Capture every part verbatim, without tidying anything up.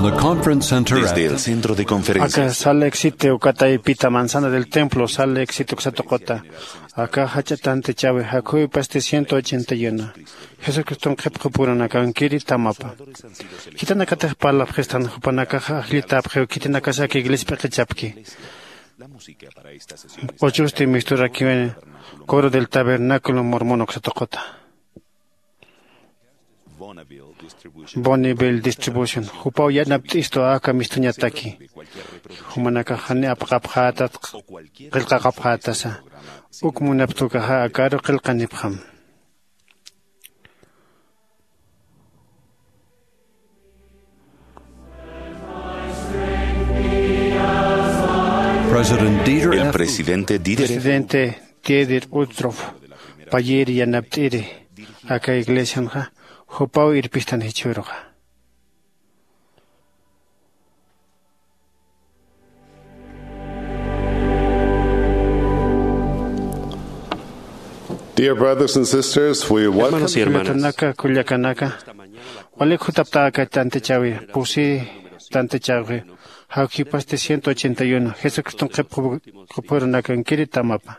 The conference center. Desde el centro de conferencias. Aka Salt Lake City ukatay pita manzana del templo Salt Lake City uksa tuquta. Aka jach'a tantichäwi jakhuwipasti ciento ochenta y uno. Jesucriston qhipqupurunakankiri tamapa. Khitinakatix parlapxistan jupanakaxa ajllitäpxiw khitinakasa aka iglesia p'iqichapki. Uchusti misturakiwini coro del tabernáculo mormón uksa tuquta. Bonneville Distribution jupaw yanapt'istu aka mistuñataki. Jumanakax jani apaqapxätat qillqaqapxätasa. Uk munapxta ukaxa akaru qillqanipxam. President Dieter El F. Presidente Dieter F. Presidente Dieter Uchtdorf payïri yanapt'iri aka iglesianxa jupaw irpistan jichhüruxa. Dear brothers and sisters, we welcome. Hermanos y hermanas. Kullakanaka, kullakanaka. Walik jutapta aka tantichäwi, pusi tantichäwi. Jawkipasti ciento ochenta y uno. Jesucriston qhipqupurunakankiri tamapa.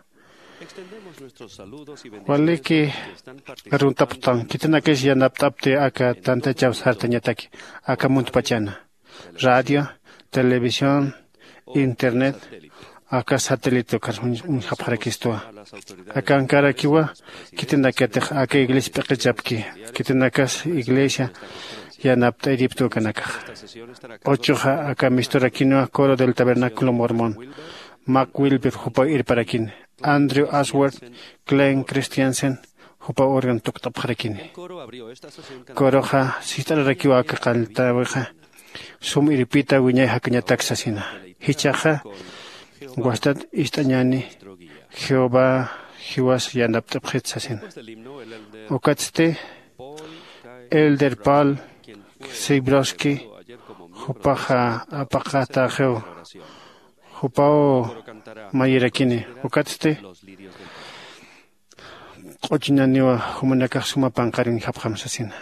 Waliki aruntapxtan, khitinakis yanapt'apti aka tantichäw sartañataki, aka muntpachana. Radio, televisión, internet, aka satélite ukar uñ-, uñjapxarakistwa. Akankarakiwa, khitinakatix aka iglesia p'iqichapki, khitinakas iglesia yanapt'iripta ukanakax. Uchuxa aka misturakinwa coro del tabernáculo mormón. Mac Wilber jupaw irparakini. Andrew Ashworth, Glenn Christensen, jupaw órgano tukt'apxarakini. Coroxa sist'ararakiwa aka qalltäwixa, sum irpita wiñay jakañatak sasina. Jichhaxa wastat ist'añäni, Jehová jiwas yanapt'apxit sasina. Ukatsti Elder Paul Sybrowsky, jupaxa apaqatäxiw, jupaw mayirakini, ukatsti q'uchuñaniwa jumanakax suma panqaruñjapxam sasina.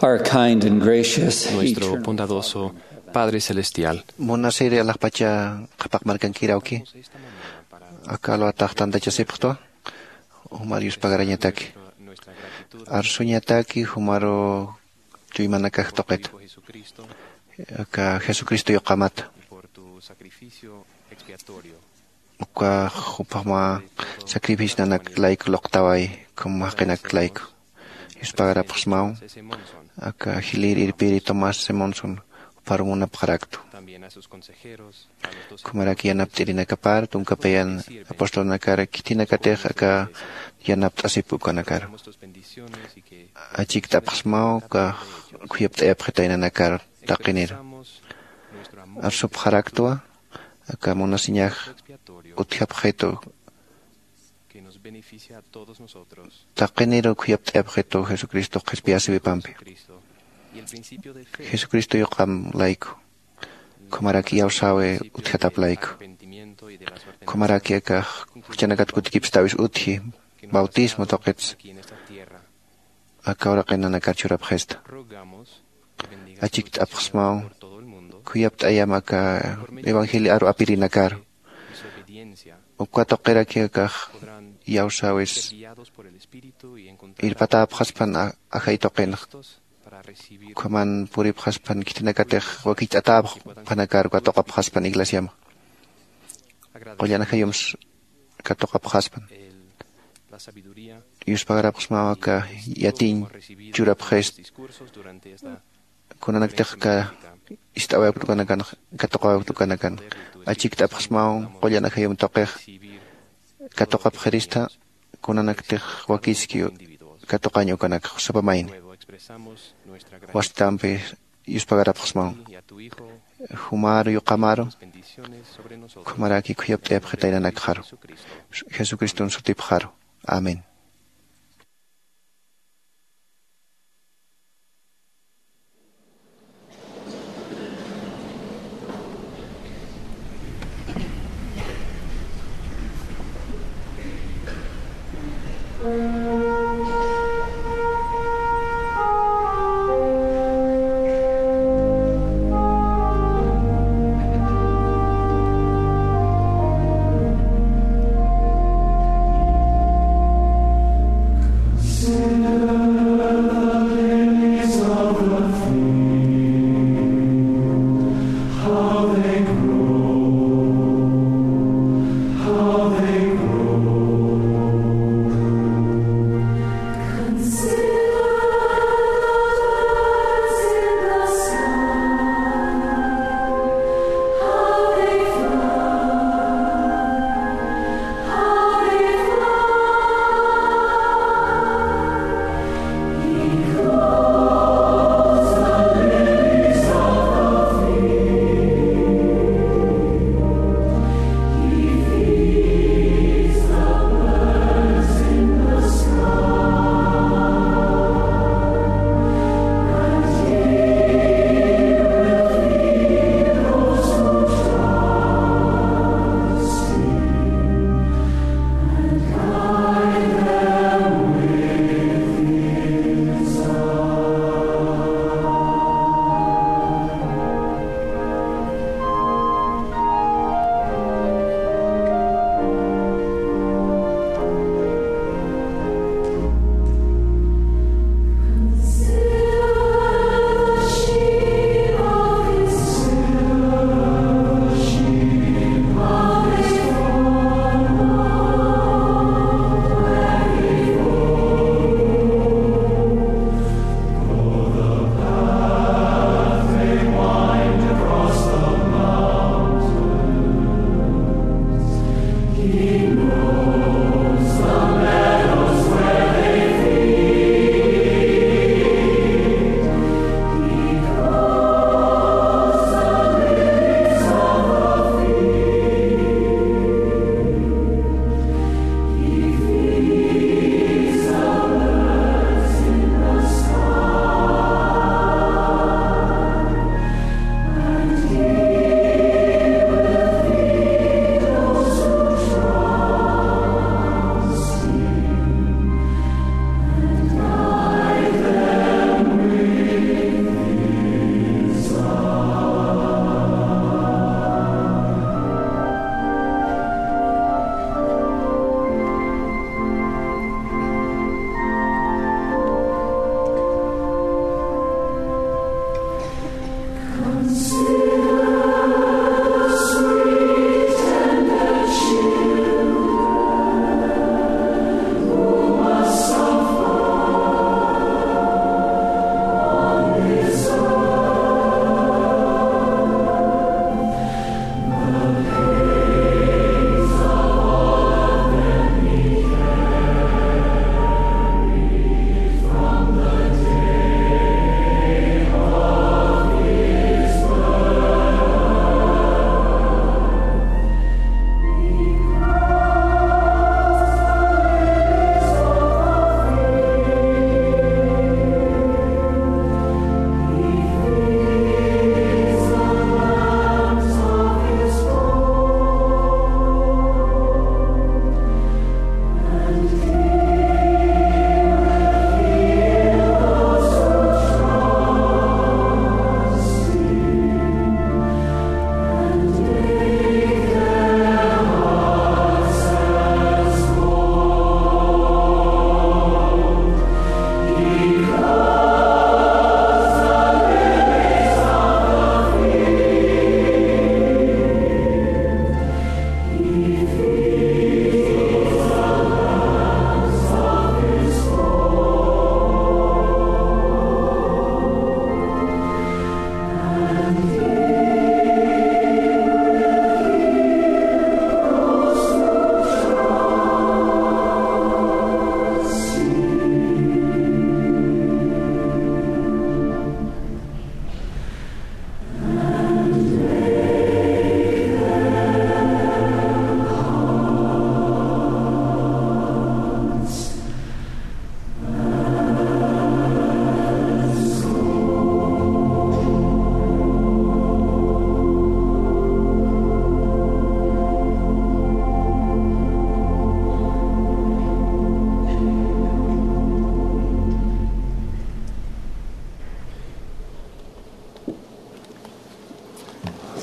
Our kind and gracious, nuestro eternal bondadoso Padre Celestial. Munasiri alaxpacha qhapaq markankirawki. Aka alwatax tantachasipxtwa. Jumar yuspagarañataki. Arsuñataki jumaru chuymanakax tuqita. Aka Jesucristo yuqamata. Uka jupama sacrificio nanak layku luqtaway, como jaqinak layku. Yuspagarapxsmaw, aka jilïr irpiri Tomás Simonson, juparu munapxaraktu. Khumarak yanapt'irinakapar, tunka payan apostolnakar khitinakatix aka yanapt'asip ukanakar. Achikt'apxsmaw, aka khuyapt'ayapxitaynanakar taqinir. Arsupxaraktwa, aka munasiñax utjapxitu. Taqiniru khuyapt'ayapxitu Jesucristo qhispiyasïwipampi. Jesucristo yuqam layku. Khumarak iyawsäwi utjatap layku. Khumarak aka juchanakat kutikipstäwis utji, bautismo tuqits. Aka uraqinanakar churapxista. Achikt'apxsmaw, khuyapt'ayam aka evangelio aru apirinakar. Uka tuqiraki akax iyawsäwis irpatäpxaspan a-, ajay tuqinx. Ukhaman puripxaspan khitinakatix wakicht'atäpxpanakar katuqapxaspan iglesiamx. Qullan ajayumsa katuqapxaspan. Yuspagarapxsmaw aka yatiñ churapxist. Kunanaktix ka ist'awayapktukanakan, katuqawayapktukanakan. Achikt'apxsmaw qullan ajayum tuqix katuqapxirista, kunanaktix wakiski katuqañ ukanak sapamayni. Wastampi yuspagarapxsmaw. Jumaru yuqamaru, ukhamaraki khuyapt'ayapxitaynanakxaru. Jesucriston sutipxaru. Amén.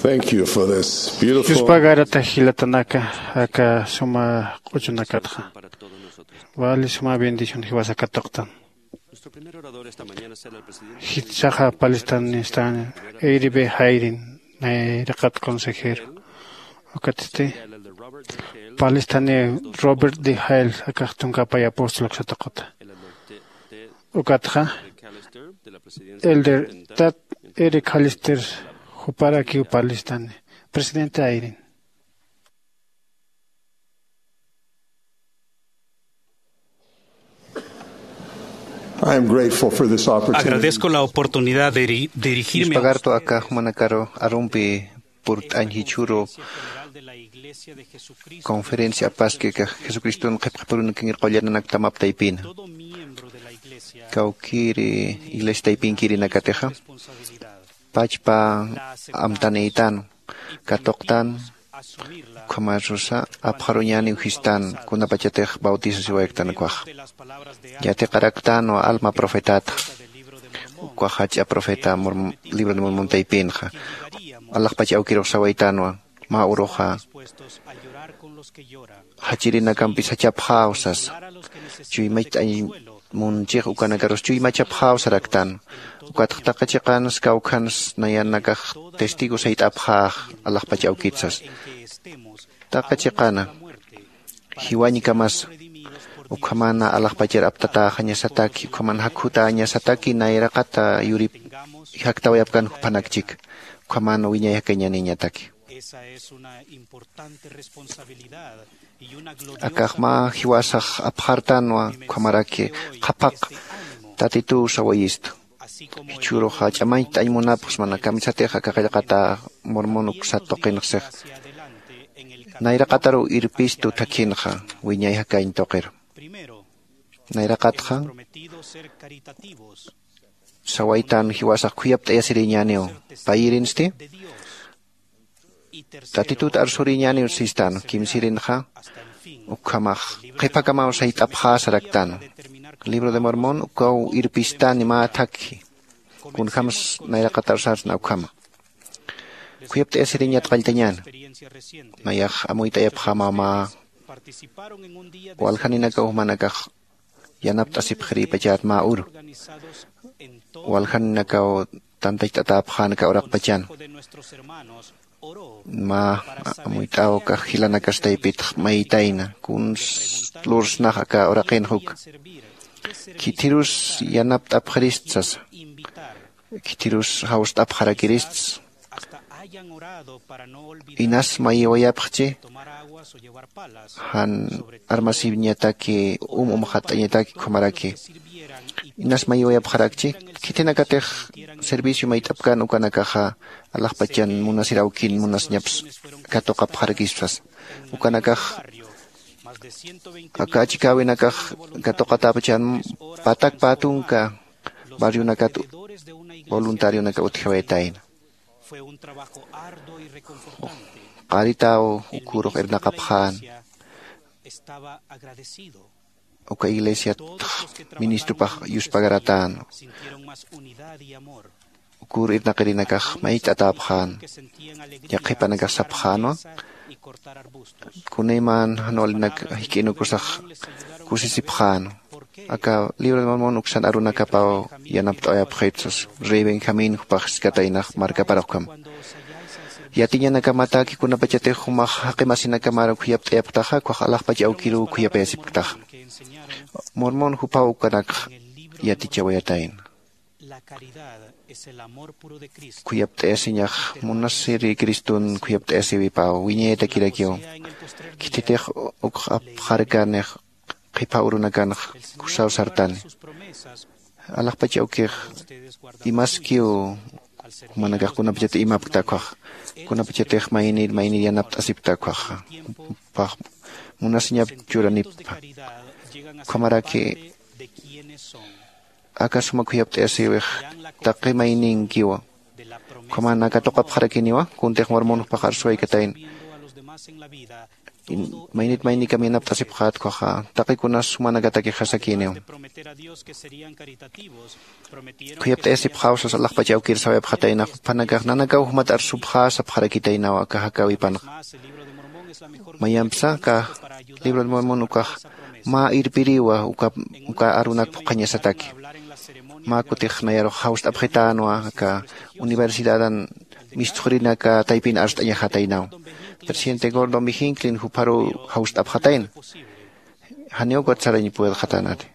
Thank you for this beautiful. Yuspagarata jilatanaka, aka suma q'uchunakatxa. Vale suma bendición jiwasa katuqtan. Jitsaxa palistan nistan Eiribe Jairin, nayraqat consejero. Ukatsti palistani Robert de Jael, akax tunka pay apóstol ksatuquta. Ukatxa, Elder Tad Eric Callister, juparakiw palistani, presidente Jairin. I am grateful for this opportunity. Agradezco la oportunidad de eri-, dirigirme a Yuspagartu aka jumanakaru arumpi purt'añ jichhüru conferencia apaski aka Jesucriston qhipqhipurunakir qullananaktamap taypina. Kawkiri iglesia taypinkirinakatixa pachpa amtanïtan, katuqtan, ukhamarusa apxaruñäniw jistan, kunapachatix bautisasiwayaktan ukhax. Yatiqaraktanwa alma profetata, ukax jach'a profeta Morm-, Libro de Mormon taypinxa. Alaxpach awkirux sawaytanwa, mä uruxa jachirinakampi sachapxäw sasa. Chuymach t'añ munchix ukanakarus chuymachapxäw saraktan. Ukatx taqi chiqans kawkhans nayanakax testigo sayt'apxäx alaxpach awkit sasa. Taqi chiqana jiwañkamasa, ukhamana alaxpachar aptatäxañasataki, ukhamana jakhutäñasataki, nayraqata yurip jaktawayapkan juphanak chika, ukhamana wiñay jakañäniñataki. Akax mä jiwasax apxartanwa, ukhamaraki qhapaq Tatituw sawayistu. Jichhüruxa ch'amañcht'añ munapxsmana, kamisatix aka qillqata Mormon uksat tuqinxsix. Nayraqataruw irpistu thakhinxa, wiñay jakañ tuqir. Nayraqatxa sawaytan jiwasax khuyapt'ayasiriñäniw, payirinsti Tatitut arsuriñäniw sistan, kimsirinxa ukhamax qhiphakamaw sayt'apxä saraktan. Libro de Mormon ukaw irpistani mä thakhi, kunjams nayraqat arsarsna ukhama. Khuyapt'ayasiriñat qalltañäna, nayax amuyt'ayapxämaw mä waljaninakaw jumanakax yanapt'asipxirïpachat mä uru. Waljaninakaw tantacht'atäpxän aka uraqpachan. Mä amuyt'äw ukax jilanakas taypitx maytayna, kuns lursnax aka uraqinx uka. Khithirus yanapt'apxirist sasa. Khithirus jawst'apxarakirist. Inas mayiwayapxchi, jan armasiñataki, um umxatt'añataki ukhamaraki. Inas mayiwayapxarakchi, khitinakatix servicio mayt'apkän ukanakaxa, alaxpachan munasir awkin munasiñaps katuqapxarakispas. Ukanakax aka achikäwinakax katuqatäpachan patak pä tunka barrionakat voluntarionaka utjiwayatayna. Qaritaw ukhürux irnaqapxän. Uka iglesiat ministrupax yuspagaratäna. Ukhür irnaqirinakax mayt'atäpxän. Yaqhipanakax sapxänwa, kunayman jan walinak jik'inukusax kusisipxänwa. Aka Libro de Mormon uksan arunakapaw yanapt'awayapxit sasa. Rey Benjamín jupax jiskataynax markapar ukham. Yatiñanakamataki kunapachatix jumax jaqi masinakamar khuyapt'ayapktaxa, ukkhax alaxpach awkiruw khuyapayasipktaxa. Mormon jupaw ukanakx yatichawayatayna. Khuyapt'ayasiñax munasiri Criston khuyapt'ayasiwipaw, wiñayatakirakiw. Khititix ukx apxarkanix qhipha urunakanx kusaw sartani. Alaxpach awkix imaskiw jumanakax kunapachat imapkta ukkhax, kunapachatix maynir maynir yanapt'asipkta ukkhaxa. Pax munasiñap churanippa. Ukhamaraki aka suma khuyapt'ayasiwix taqi mayninkiwa. Ukhaman aka tuqapxarakiniwa, kuntix Mormon jupax arsuwaykatayna. Maynit maynikam yanapt'asipxät ukhaxa taqikunas jumanakatakix jasakïniw. Khuyapt'ayasipxäw sas alaxpach awkir sawayapxatayna jupanakax nanakaw jumat arsupxä sapxarakitaynaw aka jakäwipanxa. Mayampsa aka libro de mormon ukax mä irpiriwa uka uka arunak phuqhañasataki. Mä kutix nayarux jawst'apxitänwa aka universidadan mistxurinaka taypin arst'añajataynaw. Presidente gordo mijinklin jupharuw jawst'apxatayna. Janiw ukat sarañ puedxatänati.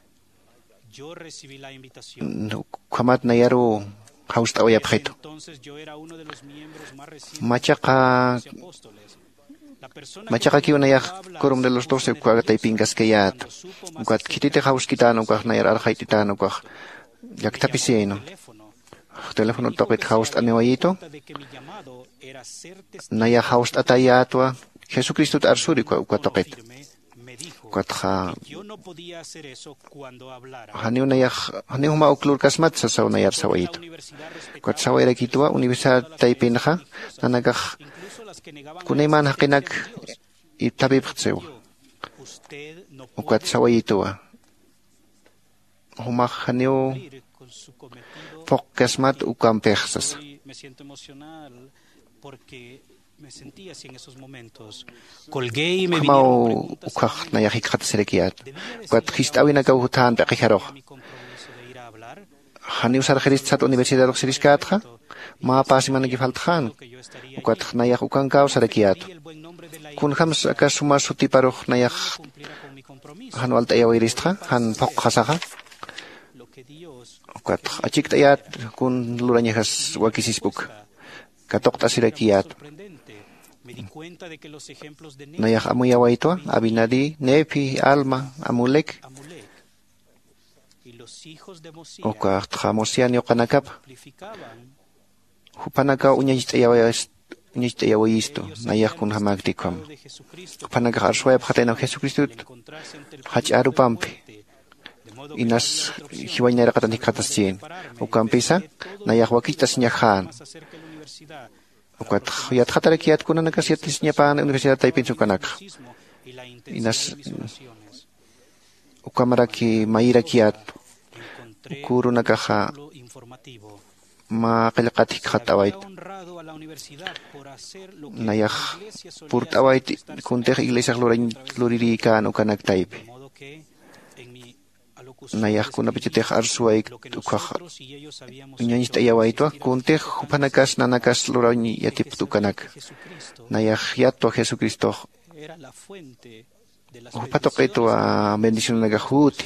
Ukhamat nayaruw jawst'awayapxitu. Machaqa machaqa kiwnayax corum de los doce uka taypinkaskayät. Ukat khititix jawskitän ukax nayar arxayt'itän ukax llakthapisiyaynu. Teléfono tuqit jawst'aniwayitu. Nayax jawst'atayätwa jesucristot arsuri uka tuqit. Ukatxa janiw nayax janiw juma uklurkasmat sasaw nayar sawayitu. Ukat sawayarakituwa universidad taypinxa nanakax kunaymän jaqinak ipthapipxtsiwa. Ukat sawayituwa jumax janiw phuqkasmat ukampix sasa. Ukhamaw ukhax nayax jikxatasirakiyät. Ukat jist'äwinakaw juthan p'iqijaruxa. Janiw sarxirist sat universidarux siriskätxa mä pä semanaki faltxän. Ukatx nayax ukankäw sarakiyätu. Kunjämsa aka suma sutiparux nayax jan walt'ayawiristxa jan phuqxasaxa. Ukatx achikt'ayät kun lurañajas wakisispa uka katuqt'asirakiyät. Nayax amuyawaytwa abinadí nefi alma amulek ukaxtxa mosian yuqanakapa. Jupanakaw uñacht'ayawayistu nayax kunjämäkti ukhama. Jupanakax arsuwayapxataynaw jesucristot jach'a arupampi inas jiwañ nayraqatan jikxataschïn. Ukampisa nayax wakicht'asiñajän. Ukatx yatxatarakiyät kunanakas yatisiñapän universidad taypinsa ukanakxa inas ukamaraki mayirakiyät. Ukürunakaxa mä qillqat jikxatt'awayt nayax purt'awayt kuntix iglesiax lurirïkän ukanak taypi. Nayax kunapachatix arsuwaykt ukkhax uñañcht'ayawaytwa kuntix juphanakas nanakas lurañ yatipkt ukanaka. Nayax yattwa jesucristox jupha tuqitwa bendicionanakax juti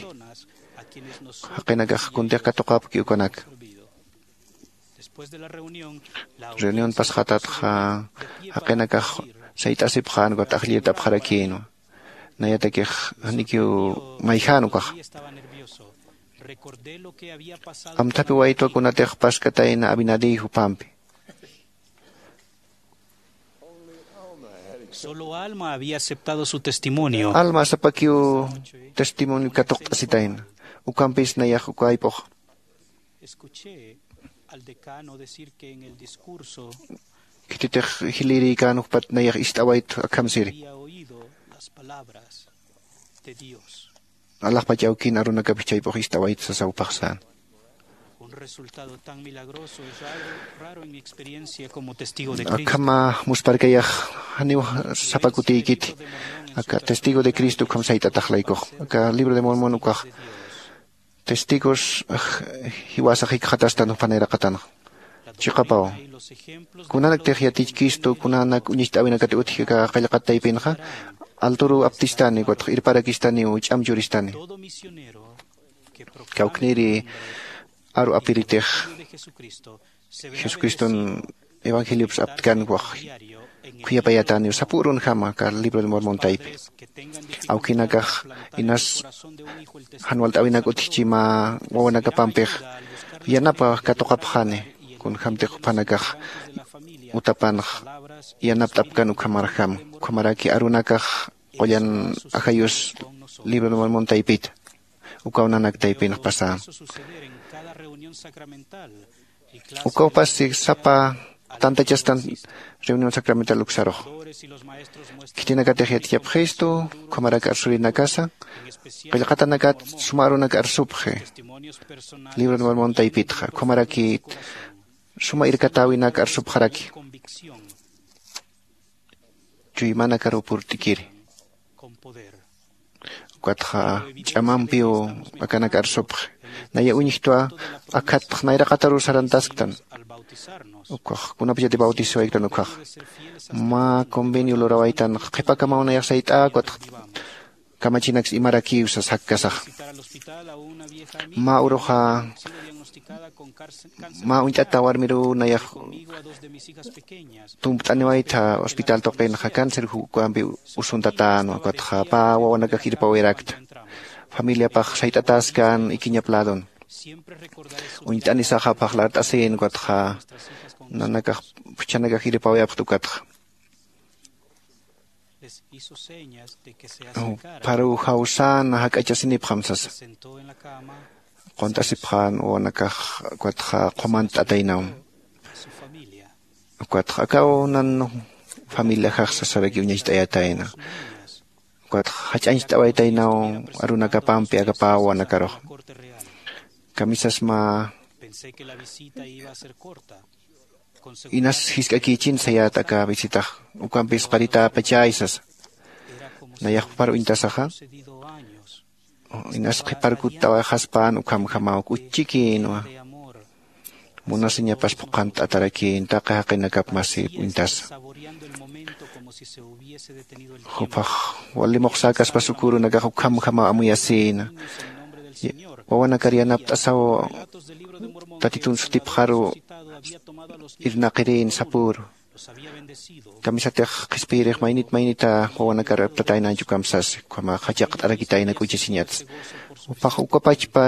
jaqinakax kuntix katuqapki ukanaka. Reunión pasxatatxa jaqinakax sayt'asipxän ukat ajllirt'apxarakïnwa. Nayatakix janikiw mayjän ukaxa. Amthapiwaytwa kunatix paskatayna abinadí jupampi. Solo alma había aceptado su testimonio. Alma sapakiw testimonio katuqt'asitayna. Ukampis nayax uka ayp'ux escuché al decano decir que en el discurso khititix jilïrïkän juphat nayax ist'awayt akham siri había oído las palabras de Dios. Alaxpach awkin arunakapix chayp'ux ist'awayt sasaw paxsän. Un resultado tan milagroso es raro, raro en mi experiencia como testigo de Cristo. Akhama musparkayax janiw sapa kutïkiti aka testigo de Cristo ukham sayt'atax laykux aka libro de mormon ukax testigos jiwasax jikxatastan jupanayraqatanxa. Chiqapaw kunanaktix yatichkistu kunanak uñacht'äwinakat utji aka qillqat taypinxa alturuw aptistani ukatx irparakistaniw ch'am churistani. Kawkniri aru apiritix jesucriston evangeliopsa aptkan ukax khuyapayätäniw sapürunjama aka libro de mormon taypi. Awkinakax inas jan walt'äwinak utjchi mä wawanakapampix yanapa katuqapxani kunjämtix juphanakax utapanx yanapt'apkan ukhamarjama. Ukhamaraki arunakax qullan ajayus libro de mormon taypita ukaw nanak taypinx pasän. Ukawpasti sapa tantachastan reunión sacramental uksarux. Khitinakatix yatichapxistu, ukhamarak arsurinakasa qillqatanakat suma arunak arsupxi. Libro de Mormon taypitxa ukhamaraki suma irkatäwinak arsupxaraki. Chuymanakaruw purt'ikiri. Ukatxa ch'amampiw akanak arsupxi. Naya uñjtwa akhatx nayraqataruw sarantasktan. Ukax kunapachati bautizawayktan ukkhax mä convenio lurawaytan qhipakamaw nayax sayt'ä ukatx kamachinaks imarakiw sas jakkasaxa. Mä uruxa mä uñt'ata warmiruw nayax tumpt'aniwaytha hospital tuqinxa cáncer jukampi usuntatänwa ukatxa pä wawanakax irpawirakta. Familiapax sayt'atäskän ikiñap ladon. Uñt'anisaxa phaxlart'asïn ukatxa nanakax phuchhanakax irpawayapxta ukatxa. Pharuw jawsäna jak'achasinipxam sasa. Qunt'asipxän wawanakax ukatxa qhumant'ataynaw. Ukatxa akaw nan familiaxax sasaraki uñacht'ayatayna. Ukatxa jach'añcht'awaytaynaw arunakapampi aka pä wawanakarux. Kamisas mä inas jisk'akïchin sayät aka visitax. Ukampis qaritäpachay sasa. Nayax pupar uñtasaxa inas qhiparkutawayxaspän ukhamjamaw k'uchikïnwa. Munasiñapas phuqhant'atarakïn taqi jaqinakap masip uñtasa. Jupax wali muxsäkaspas ukürunakax ukhamjamaw amuyasïna. Wawanakar yanapt'asaw tatitun sutipxaru irnaqirïn sapüru. Kamisatix qhispiyirix maynit maynita wawanakar aptataynañch ukham sasi ukhamax jachaqt'arakitayna k'uchisiñatsa. Jupax ukapachpa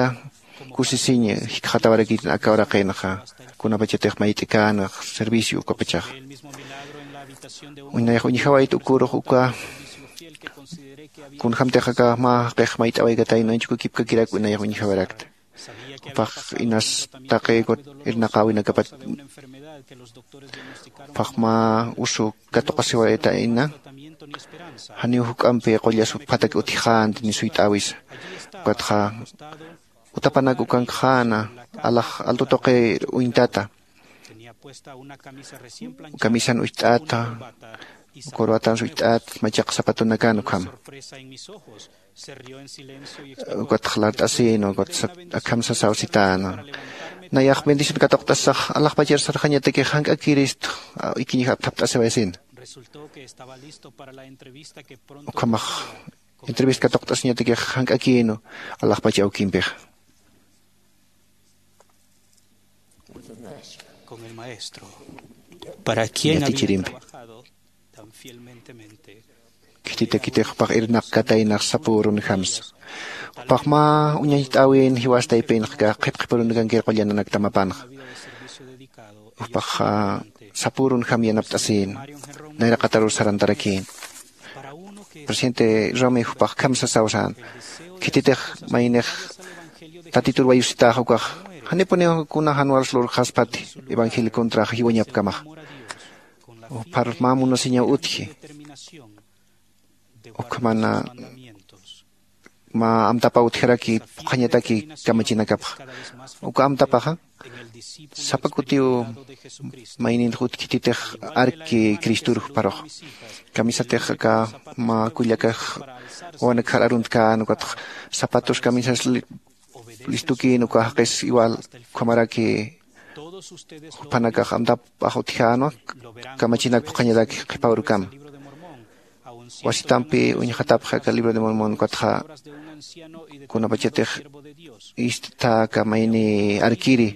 kusisiñ jikxatawarakïtin aka uraqinxa. Kunapachatix mayt'ikän servicio ukapachaxa. Uñnayax uñjawayt ukürux uka kunjämtix aka mä jaqix mayt'awaykatayna uñchukukipkakirak uñnayax uñjawarakta. Jupax inas taqi irnaqäwinakapat jupax mä usu katuqasiwaytayna. Janiw juk'ampi qullas phatak utjxänti ni suyt'äwisa. Ukatxa utapanak ukankxäna alax altu tuqir uñtata. Kamisan ucht'ata, corbatan ucht'at machaq zapatunakan ukhama. Ukatx lart'asïna ukat akham sasaw sitäna. Nayax bendición katuqt'asax alaxpachar sarxañatakix jank'akirist ikiñix apthapt'asiwayasïna. Ukhamax entrevista katuqt'asiñatakix jank'akïnu alaxpach awkimpixa. Yatichirimpi khititakitix jupax irnaqkataynax sapürunjamsa. Jupax mä uñacht'äwin jiwas taypinxka qhipqhipurunakankir qullananakta mapanxa. Jupax sapürunjam yanapt'asïn nayraqatarur sarantarakïn. Presidente Romi jupax kham sasaw sän. Khititix maynix tatitur wayusitäx ukax janipuniw kuna jan wals lurxaspati evangelio contrax jiwañapkamax. Juphar mä munasiñaw utji. Ukhamana mä amtapaw utjaraki phuqhañataki kamachinakapxa. Uka amtapaxa sapa kutiw mayninx utkhititix arki cristur jupharux. Kamisatix aka mä kullakax wawanakxar aruntkan ukatx zapatos kamisas listukïn uka jaqis igual ukhamaraki juphanakax amtapax utjänwa kamachinak phuqhañatak qhipa urukama. Wasitampi uñjatapxi aka libro de Mormon ukatxa kunapachatix ist'ta aka mayni arkiri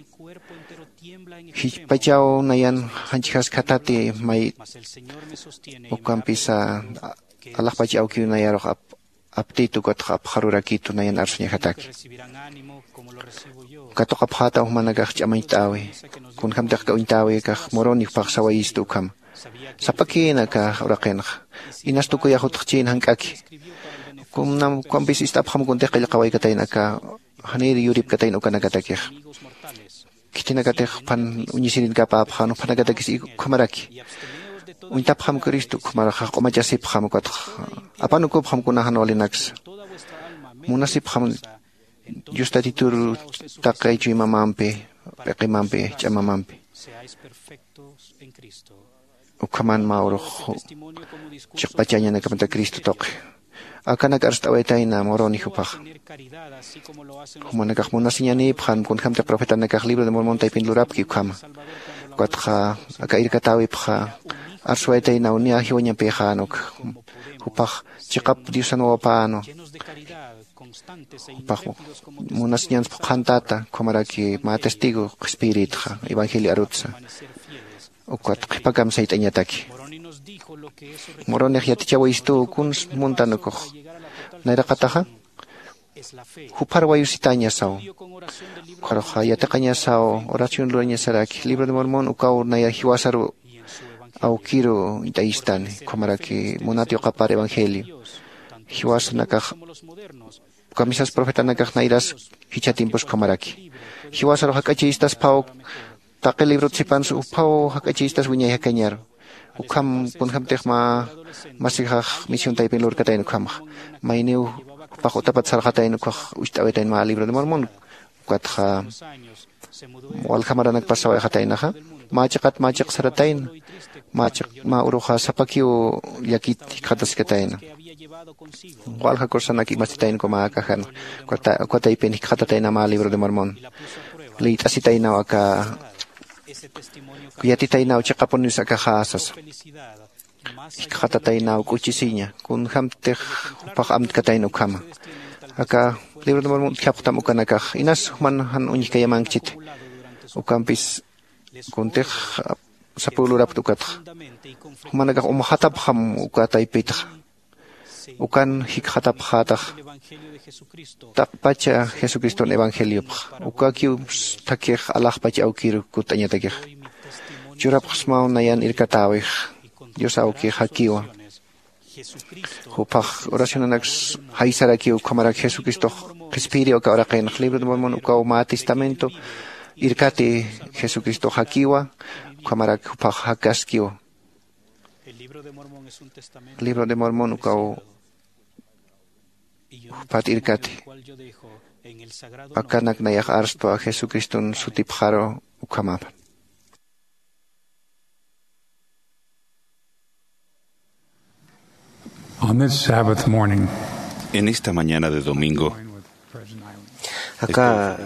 jichpachaw nayan janchjas khatati may ukampisa alaxpach awkiw nayarux aptitu ukatxa apxarurakitu nayan arsuñajataki. Katuqapxätaw jumanakax ch'amañcht'äwi kunjämtix aka uñtäwi akax moroni jupax sawayistu ukhama. Sapakïn aka uraqinxa inas tukuyax utxchïn jank'aki. Kunam ukampis ist'apxam kuntix qillqawaykatayna aka janir yuripkatayna ukanakatakixa. khitinakatix juphan uñisirintkapäpxan juphanakatakis ukhamaraki uñtapxam cristo ukhamaraxa q'umachasipxam ukatxa apanukupxam kunaxan walinaksa munasipxam dios tatitur taqi chuymamampi p'iqimampi ch'amamampi ukhaman mä urux chiqpachañanakamat cristo tuqi akanak arst'awaytayna muruni jupaxa jumanakax munasiñanïpxan kunjämtix profetanakax libro de mormon taypin lurapki ukhama ukatxa aka irkatäwipxa arswaytaynaw niya jiwañapïxän uk jupax chiqap diosan wawapänwa jupax munasiñans phuqhantata ukhamaraki mä testigo qhispiyirïtxa evangelio arutsa ukat qhipakam sayt'añataki muronix yatichawaystuw kuns muntan ukux nayraqataxa juphar wayusitañasaw ukxaruxa yatiqañasaw oración lurañasaraki libro de mormon ukaw naya jiwasaru awkiru uñt'ayistani ukhamaraki munat yuqapar evangelio jiwasanakax ukhamisas profetanakax nayras jichha tiempos ukhamaraki jiwasaru jak'achiyistasphaw taqi librot sipansa uphaw jak'achiystas wiñay jakañaru ukham kunjämtix mä masixax misión taypin lurkatayna ukhamxa mayniw jupax utapat sarxatayna ukhax ucht'awitayna mä libro de mormon ukatxa walja maranakpas sawayxataynaxa mä chiqat mä chiq saratayna mä chiq mä uruxa sapakiw llakit jikxataskatayna walja kursanak imasitayna uka mä akaxan uka taypin jikxatatayna mä libro de mormon liyt'asitaynaw aka yatitaynaw chiqapunis akaxa sasa jikxatataynaw k'uchisiña kunjämtix jupax amtkatayna ukhama aka libro de mormon utjapxtam ukanakax inas juman jan uñjkayamankchiti ukampis kuntix sapü lurapkta ukatxa jumanakax umxatapxam uka taypitxa ukan jikxatapxätax taqpacha jesucriston evangeliopxa ukakiw thakix alaxpach awkir kutt'añatakix churapxsmaw nayan irkatäwix dios awkix jakiwa jupax oracionanaks jaysarakiw ukhamarak jesucristox qhispiyiriw aka uraqinx libro de mormon ukaw mä testamento irkati jesucristox jakiwa ukhamarak jupax jakaskiwa libro de mormon ukaw jupat irkati akanak nayax arstwa jesucriston sutipxaru ukhamapan On this Sabbath morning, En esta mañana de domingo, aka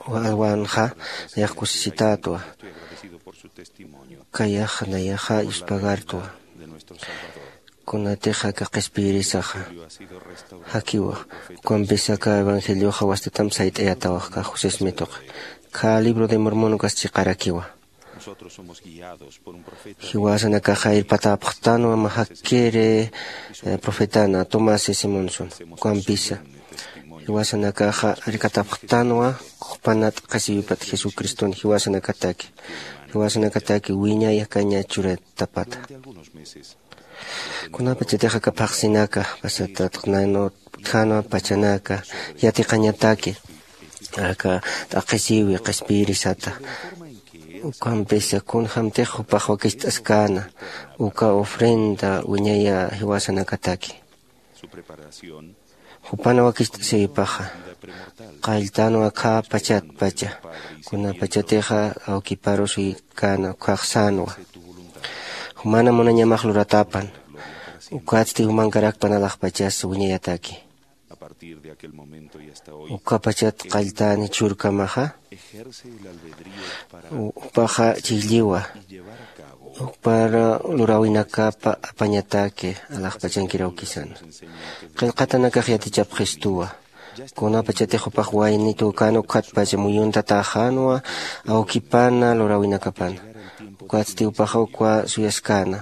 alwanxa nayax kusisitätwa kayax nayaxa yuspagartwa kunatix aka qhispiyirisaxa jakiwa ukampis aka evangelioxa wastatam sayt'ayatawax ka josé smituqi ka libro de mormon ukas chiqarakiwa jiwasanakaxa irpatäpxtanwa mä jakkiri profetana tomás simonson ukampisa jiwasanakaxa irkatapxtanwa jupanat qhisiwipat jesucriston jiwasanakataki jiwasanakataki wiñay jakaña churatapata kunapachatix aka phaxsinaka pasatatxnanwa utjanwa pachanaka yatiqañataki aka t'aqhisiwi qhispiyirisata ukampisa kunjämtix jupax wakicht'askäna uka ofrenda wiñaya jiwasanakataki jupan wakicht'asiwipaxa qalltanwa khä pachatpacha kunapachatixa awkiparu suykäna ukkhax sänwa jumana munañamax luratapan ukatsti jumankarakpan alaxpachas wiñayataki ukapachat qalltäni churkamaxa jupaxa chilliwa jupar luräwinakapa apañataki alaxpachankir awkisana qillqatanakax yatichapxistuwa kunapachatix jupax wayni tükäna ukkhatpacha muyuntatäxänwa awkipana luräwinakapana ukatsti jupaxa ukwa suyaskäna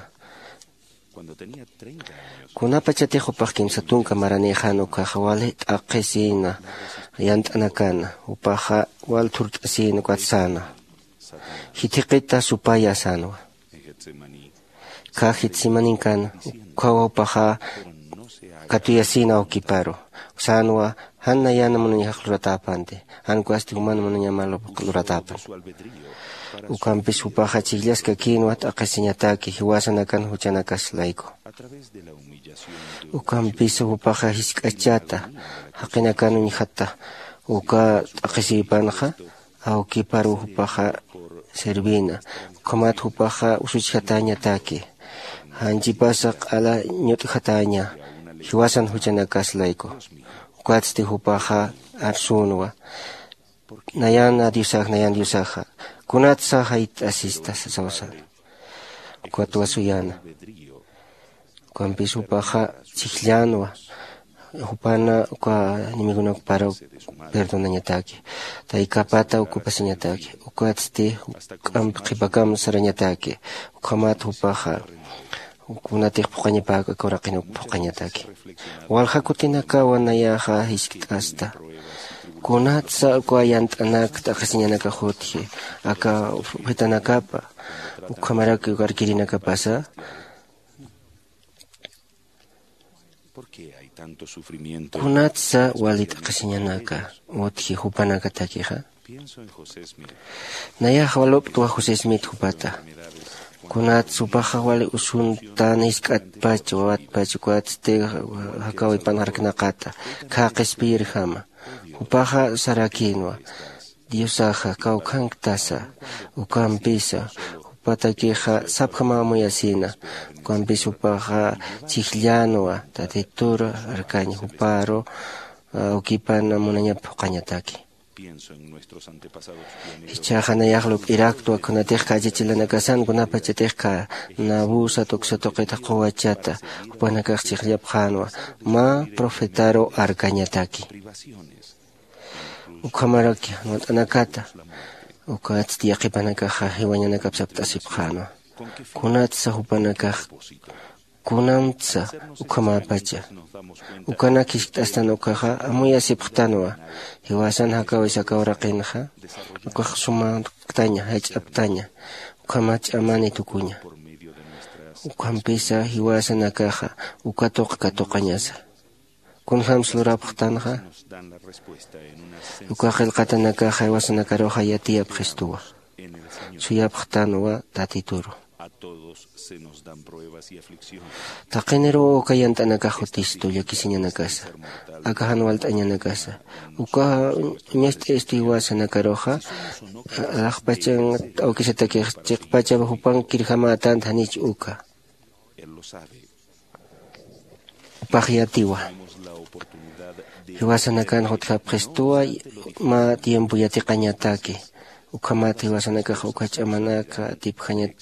kunapachatix jupax kimsa tunka maranïxän ukkhaxa wali t'aqhisïna yant'anakana jupaxa wal thurt'asïna ukat säna jithiqita supaya sänwa kha getsemaninkan ukkhawa jupaxa katuyasïna awkiparu sänwa Jan nayan munañajax luratäpanti, jan ukasti juman munañama lurätäpan. Ukampis jupaxa chijllaskakïnwa t'aqhisiñataki jiwasanakan juchanakas layku. Ukampis jupaxa jisk'achata jaqinakan uñjata uka t'aqhisïpanxa, awkiparuw jupaxa servina. Ukhamat jupaxa usuchjatäñataki, janchipasa q'ala ñut'jatäña jiwasan juchanakas layku. Ukatsti jupaxa arsünwa, nayana diosax nayan diosaxa, kunatsa jayt'asista sasawsan. Ukatwa suyäna. Ukampis jupaxa chijllänwa, jupana uka enemigonakparu perdonañataki, taykapata ocupasiñataki. Ukatsti juk'amp qhipakam sarañataki. Ukhamat jupaxa kunatix phuqañapäk aka uraqinuk phuqañataki. Walja kutinakawa nayaxa jiskt'asta, kunatsa uka yant'anak t'aqhisiñanakax utji aka profetanakapa ukhamaraki uka arkirinakapasa. Kunatsa wali t'aqhisiñanaka utji jupanakatakixa? Nayax waluptwa josé smith jupata. Kunatsa jupaxa wali usuntan jisk'atpach wawatpach ukatsti jakawipan jarknaqata, khä qhispiyirjama. Jupaxa sarakïnwa, diosaxa kawkhanktasa. Ukampisa jupatakixa sapjamaw amuyasïna. Ukampis jupaxa chijllänwa, tatitur arkañ juparu awkipan munañap phuqhañataki. Jichhaxa nayax lup'iraktwa kunatix khachachilanakasan kunapachatix kha nabusa tuksa tuqita quwachata jupanakax chijllapxänwa, mä profetaru arkañataki. Ukhamaraki jan walt'anakata ukatsti yaqhipanakaxa jiwañanakap sapt'asipxänwa. Kunatsa jupanakax kunamtsa ukhamäpacha ukanak jiskt'astan ukaxa amuyasipxtanwa. Jiwasan jakawisa aka uraqinxa ukax sumaktaña jach'aptaña, ukhama ch'amani tukuña. Ukhampisa jiwasanakaxa uka tuq katuqañasa. Kunjams lurapxtanxa? Uka qillqatanakaxa jiwasanakaruxa yatiyapxistuwa. Suyapxtanwa tatituru. Taqiniruw uka yant'anakax jutistu llakisiñanakasa, aka jan walt'añanakasa. Uka uñacht'istu jiwasanakaruxa alaxpachan awkisatakix chiqpachap jupan kirjamätanta janich uka. Upax yatiwa. Jiwasanakan jutjapxistuwa mä tiempo yatiqañataki. Ukhamat jiwasanakax uka ch'amanaka atipjañat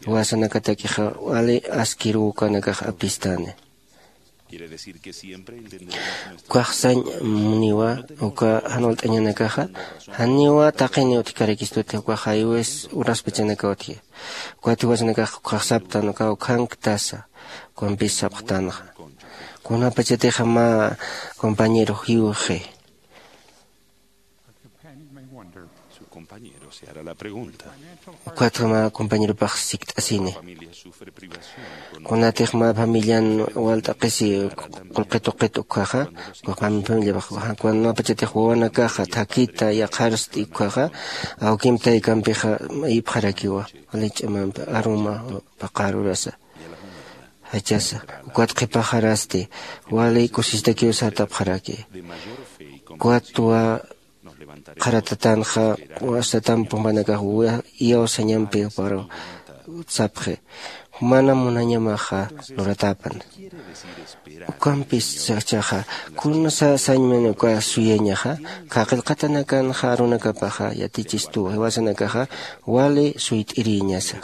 jiwasanakatakixa wali askiruw ukanakax apistani. Ukax sañ muniwa uka jan walt'añanakaxa janiwa taqini utjkarakistuti ukax jaywis uraspachanaka utji. Ukat jiwasanakax ukax saptan ukaw khanktasa. Ukampis sapxtanxa kunapachatixa mä compañero jiwxi. Ukatxa mä compañeropax sikt'asini. Kunatix mä familian walt'aqisi qullqi tuqit ukhaxa, ukax mä familiapax kunapachatix wawanakaxa thakita yaqharsti ukhaxa, awkimp taykampixa ipxarakiwa wali ch'amampi aruma paqarurasa jachasa. Ukat qhipaxarasti wali kusisitakiw sartapxaraki. Ukatwa qharatatanxa wasatamp jumpanakax iyawsañampi juparu sapxi, jumana munañamaxa luratäpan. Ukampis sachaxa kunsa sañmani uka suyañaxa, qhaqillqatanakanxa arunakapaxa yatichistuwa jiwasanakaxa wali suyt'irïñasa.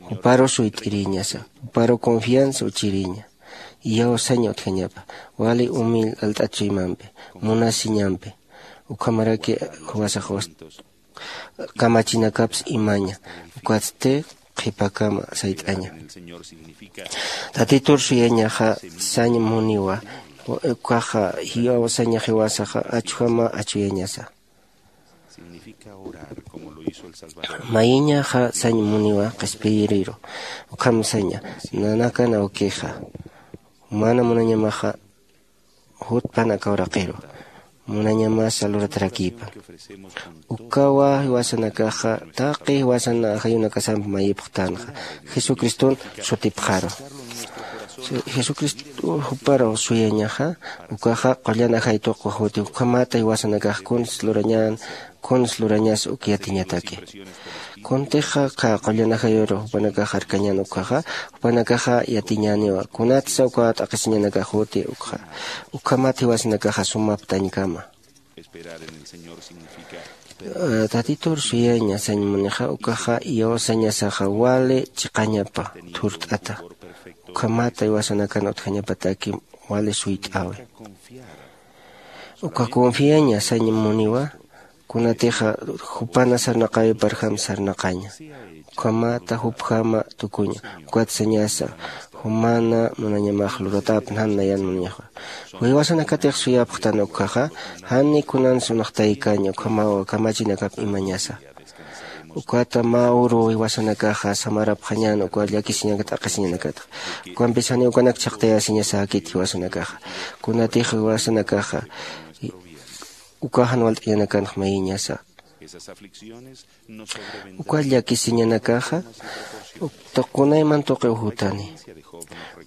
Juparu suyt'irïñasa, juparu confianza uchirïña. Iyawsaña utjañapa wali umil alt'at chuymampi munasiñampi. Ukhamaraki juwasax kamachinakaps imaña. Ukatsti qhipakama sayt'aña. Tatitur suyañaxa sañ muniwa. Ukaxa jiwawsaña jiwasaxa achujama achuyañasa. Mayiñaxa sañ muniwa qhispiyiriru. Ukham saña nanakan awkixa jumana munañamaxa jutpan aka uraqiru. Munañamasa luratarakipan. Ukawa jiwasanakaxa taqi jiwasan ajayunakasamp mayipxtanxa. Jesucriston sutipxaru. Jesucristo juparu suyañaxa. Ukaxa qullan ajay tuqwa juti ukhamata jiwasanakax kuns lurañan kuns lurañas uk yatiñataki. Kuntixa qha qullan ajayuru jupanakax arkañan ukhaxa jupanakaxa yatiñaniwa kunatsa uka t'aqhisiñanakax juti ukxa. Ukhamat jiwasanakaxa sumaptañkama. Tatitur suyaña sañ munixa ukaxa iyawsañasaxa wali chiqañapa thurt'ata. Ukhamata jiwasanakan utjañapataki wali suyt'awi. Uka confiaña sañ muniwa kunatixa jupana sarnaqawiparjam sarnaqaña. Ukhamata jupjama tukuña. Ukat sañasa jumana munañamax luratapnjan nayan munañaxa. Jiwasanakatix suyapxtan ukhaxa jani kunan sunxtaykaña ukhamawa kamachinakap imañasa. Ukata mä uru jiwasanakaxa samarapxañan uka llakisiñakat t'aqhisiñanakatxa. Ukampis jani ukanak chhaqtayasiñasäkit jiwasanakaxa. Kunatix jiwasanakaxa uka jan walt'añanakanx mayiñasa. Uka llakisiñanakaxa tuqunayman tuqiw jutani.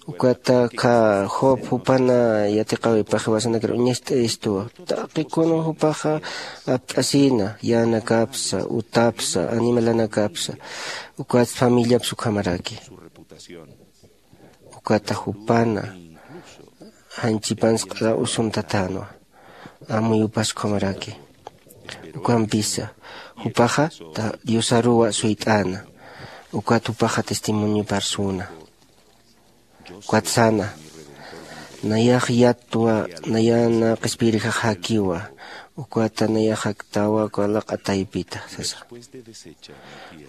Ukata kha job jupana yatiqawipax jiwasanakar uñacht'ayistuwa. Taqi kun jupaxa apt'asina yänakapsa utapsa animalanakapsa. Ukat familiaps ukhamaraki. Ukata jupana janchipansa q'ala usuntatänwa. Amuyupas ukhamaraki. Ukampisa jupaxa diosaruwa suyt'äna. Ukat jupaxa testimonioparsuna. Ukat sana nayax yattwa nayana qhispiyirjax jakiwa. Ukata nayax jaktawa uka laq'a taypita sasa.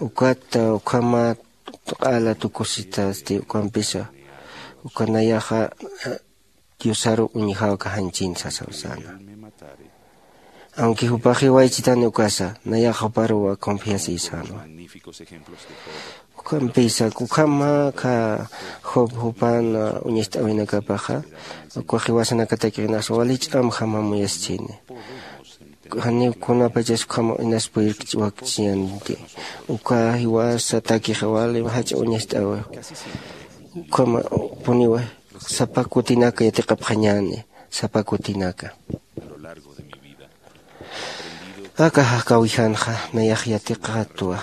Ukat ukhamat q'ala tukusitasti ukampisa uka nayaxa diosaru uñjaw kajanchin sasaw sana. Aunque jupax jiwaychitani ukasa nayax juparuwa confiasïsanwa. Ukampisa ukhama kha job jupan uñacht'awinakapaxa ukax jiwasanakatakix inas wali ch'amjam amuyaschini. Janiw kunapachas ukhama inas puyirkch'wakchiyanti. Uka jiwasatakixa wali jach'a uñacht'awi. Ukhama puniwa sapa kutinaka yatiqapxañäni. Sapa kutinaka aka jakawijanxa nayax yatiqatwa.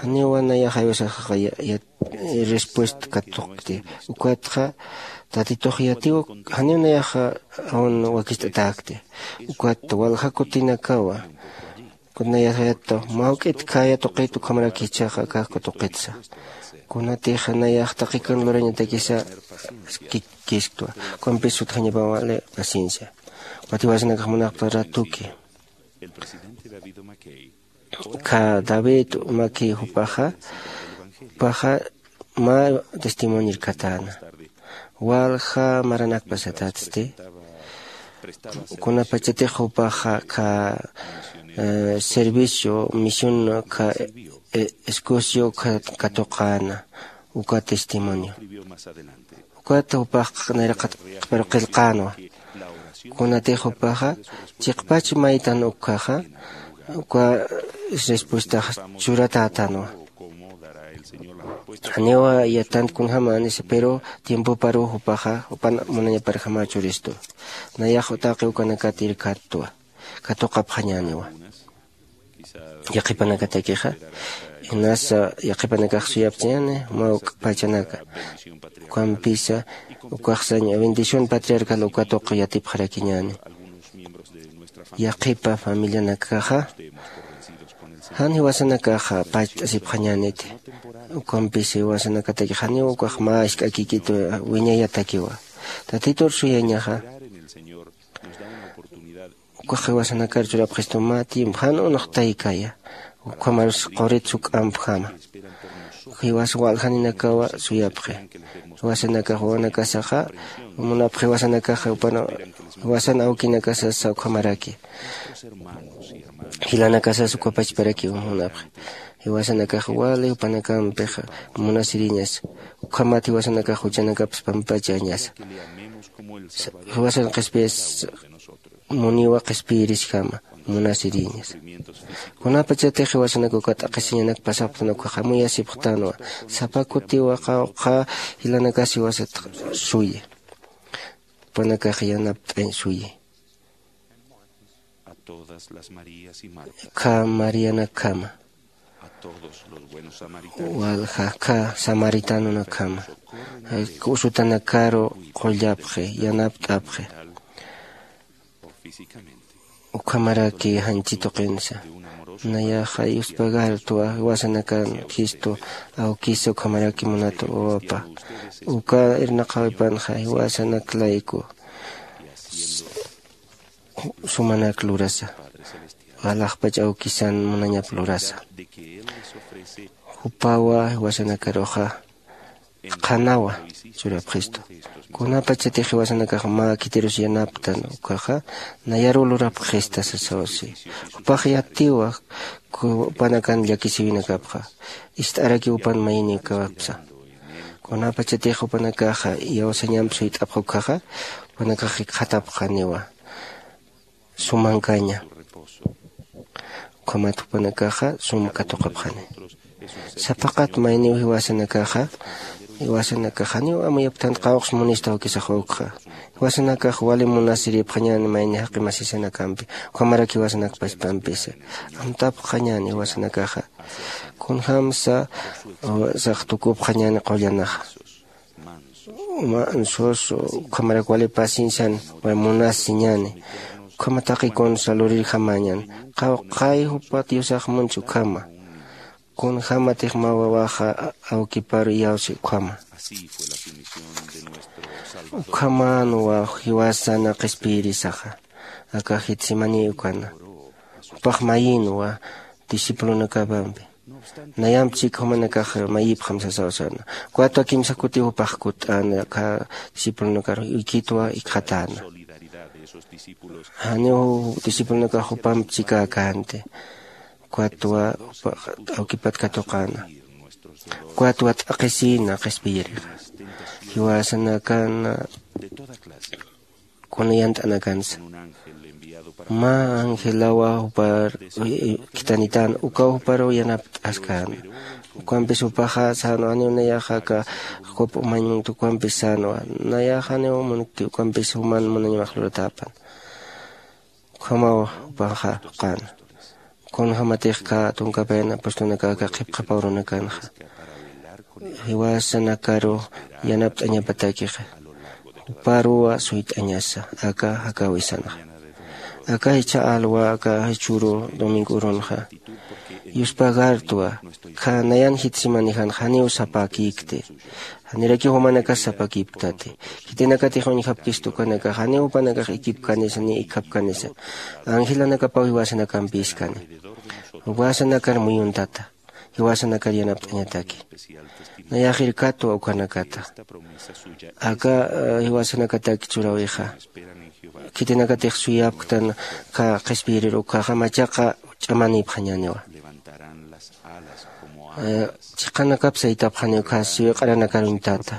Janiwa nayax aywasaxaxa respuesta katuqti. Ukatxa tatitux yatiw janiw nayaxa awn wakicht'atäkti. Ukat walja kutinakawa kunayasayata mä juk'it khaya tuqit ukhamaraki jichhaxa akax katuqitsa. Kunatix nayax taqikan lurañatakisa kisktwa. Kumpis utjañapaw wali paciencia. Ukat jiwasanakax munaqta ratuki kha david maki jupaxa jupaxa mä testimonio irkatäna. Walja maranakpasatatsti kunapachatix jupaxa kha servicio misión kha escocio katuqäna uka testimonio. Ukat jupax nayraqat qhiparu qillqänwa. Kunatix jupaxa chiqpach maytan ukhaxa uka respuestax churatätänwa. Janiwa yatant kunjämänisa pero tiempoparuw jupaxa jupan munañaparjama churistu. Nayax taqi ukanakat irkattwa katuqapxañäniwa. Yaqhipanakatakixa inasa yaqhipanakax suyapchañäni mä uk'pachanaka. Ukampisa ukaxsañ bendición patriarcal uka tuqi yatipxarakiñäni. Yaqhipa familianakaxa jan jiwasanakaxa pacht'asipxañäniti. Ukampisa jiwasanakatakix janiw ukax mä isk'akikit wiñayatakiwa. Tatitur suyañaxa ukax jiwasanakar churapxistu mä tiempo jan unxtaykaya. Ukhamarus qurit suk'ampjama jiwas waljaninakawa suyapxi. Jiwasanakax wawanakasaxa munapxi jiwasanakaxa upana jiwasan awkinakasasa ukhamaraki jilanakasas ukapachparakiw munapxi. Jiwasanakax wali jupanakampix munasiriñas ukhamat jiwasanakax juchanakapas pampachañasa. Jiwasan qhispiyas muniwa qhispiyirisjama munasiriñas. Kunapachatix jiwasanak uka t'aqhisiñanak pasapxtan ukhax amuyasipxtanwa. Sapa kutiwa qawqha jilanakas jiwasat suyi, jupanakax yanapt'añ suyi. Kha marianakjama, walja kha samaritanunakjama, usutanakaru qullapxi, yanapt'apxi. Ukhamaraki janchi tuqinsa. Nayaxa yuspagartwa jiwasanakan jistu awkisa ukhamaraki munat wawapa. Uka irnaqäwipanxa jiwasanak layku sumanak lurasa, alaxpach awkisan munañap lurasa. Jupawa jiwasanakaruxa qhanawa churapxistu. Kunapachatix jiwasanakax mä khitirus yanaptan ukaxa, nayaruw lurapxista sasawsi. Jupax yatiwa jupanakan llakisiwinakapxa, ist'arakiw jupan mayiniwkapsa. Kunapachatix jupanakaxa iyawsañamp suyt'apxa ukkhaxa, jupanakax jikxatapxaniwa sumankaña. Ukhamat jupanakaxa sum katuqapxani. Sapaqat mayniw jiwasanakaxa, jiwasanakax janiw amuyapktant qawqs munistaw kisax ukxa. Jiwasanakax wali munasiripxañäni mayni jaqi masisanakampi, ukhamarak jiwasanak paspampisa. Amtapxañäni jiwasanakaxa kunjämsa sax tukupxañäni qullanaxa. Mansos, ukhamarak wali paciencian, wali munasiñäni. Ukhama taqi kunsa lurirjamäñan. Qawqhay jupa Diosax munchi ukhama. Kunjämatix mä wawaxa awkiparu iyawsi ukhama. Ukhamänwa jiwasana qhispiyirisaxa aka Getsemani ukana. Jupax mayinwa discipulonakapampi. Nayamp chik jumanakax mayipxam sasaw sana. Ukatwa kimsa kutiw jupax kutt'äna aka discipulonakar uykitwa ikxatäna. Janiw discipulonakax jupamp chikäkänti. Ukatwa jupax awkipat katuqäna. Ukatwa t'aqhisïna qhispiyirixa. Jiwasanakana kuna yant'anakansa. Mä angelawa jupar khithanitäna, ukaw juparuw yanapt'askäna. Ukampis jupaxa sänwa, janiw nayaxa aka jup umañ munkti, ukampis sänwa, nayaxa janiw munkti, ukampis juman munañamax luratäpan. Ukhamaw jupanxa juqäna. Kunjämatix aka tunkapayna apostolnakax aka qhipqhapa urunakanxa jiwasanakaru yanapt'añapatakixa, juparuwa suyt'añasa aka jakäwisanxa. Aka jichha alwa aka jichhüru domingo urunxa yuspagartwa, kha nayan Getsemanijan janiw sapäkïkti. Janirakiw jumanakas sapäkïpktati. Khitinakatix uñjapkistu ukanakax janiw jupanakax ikipkanisa ni ikxapkanisa. Angelanakapaw jiwasanakampïskani. Jiwasanakar muyuntata. Jiwasanakar yanapt'añataki. Nayax irkatwa ukanakata. Aka jiwasanakataki churawixa, khitinakatix suyapktan aka qhispiyirir ukkhaxa machaqa ch'amanïpxañäniwa. Chiqanakap saytapxaniw ukkha siwiq'aranakar uñtata.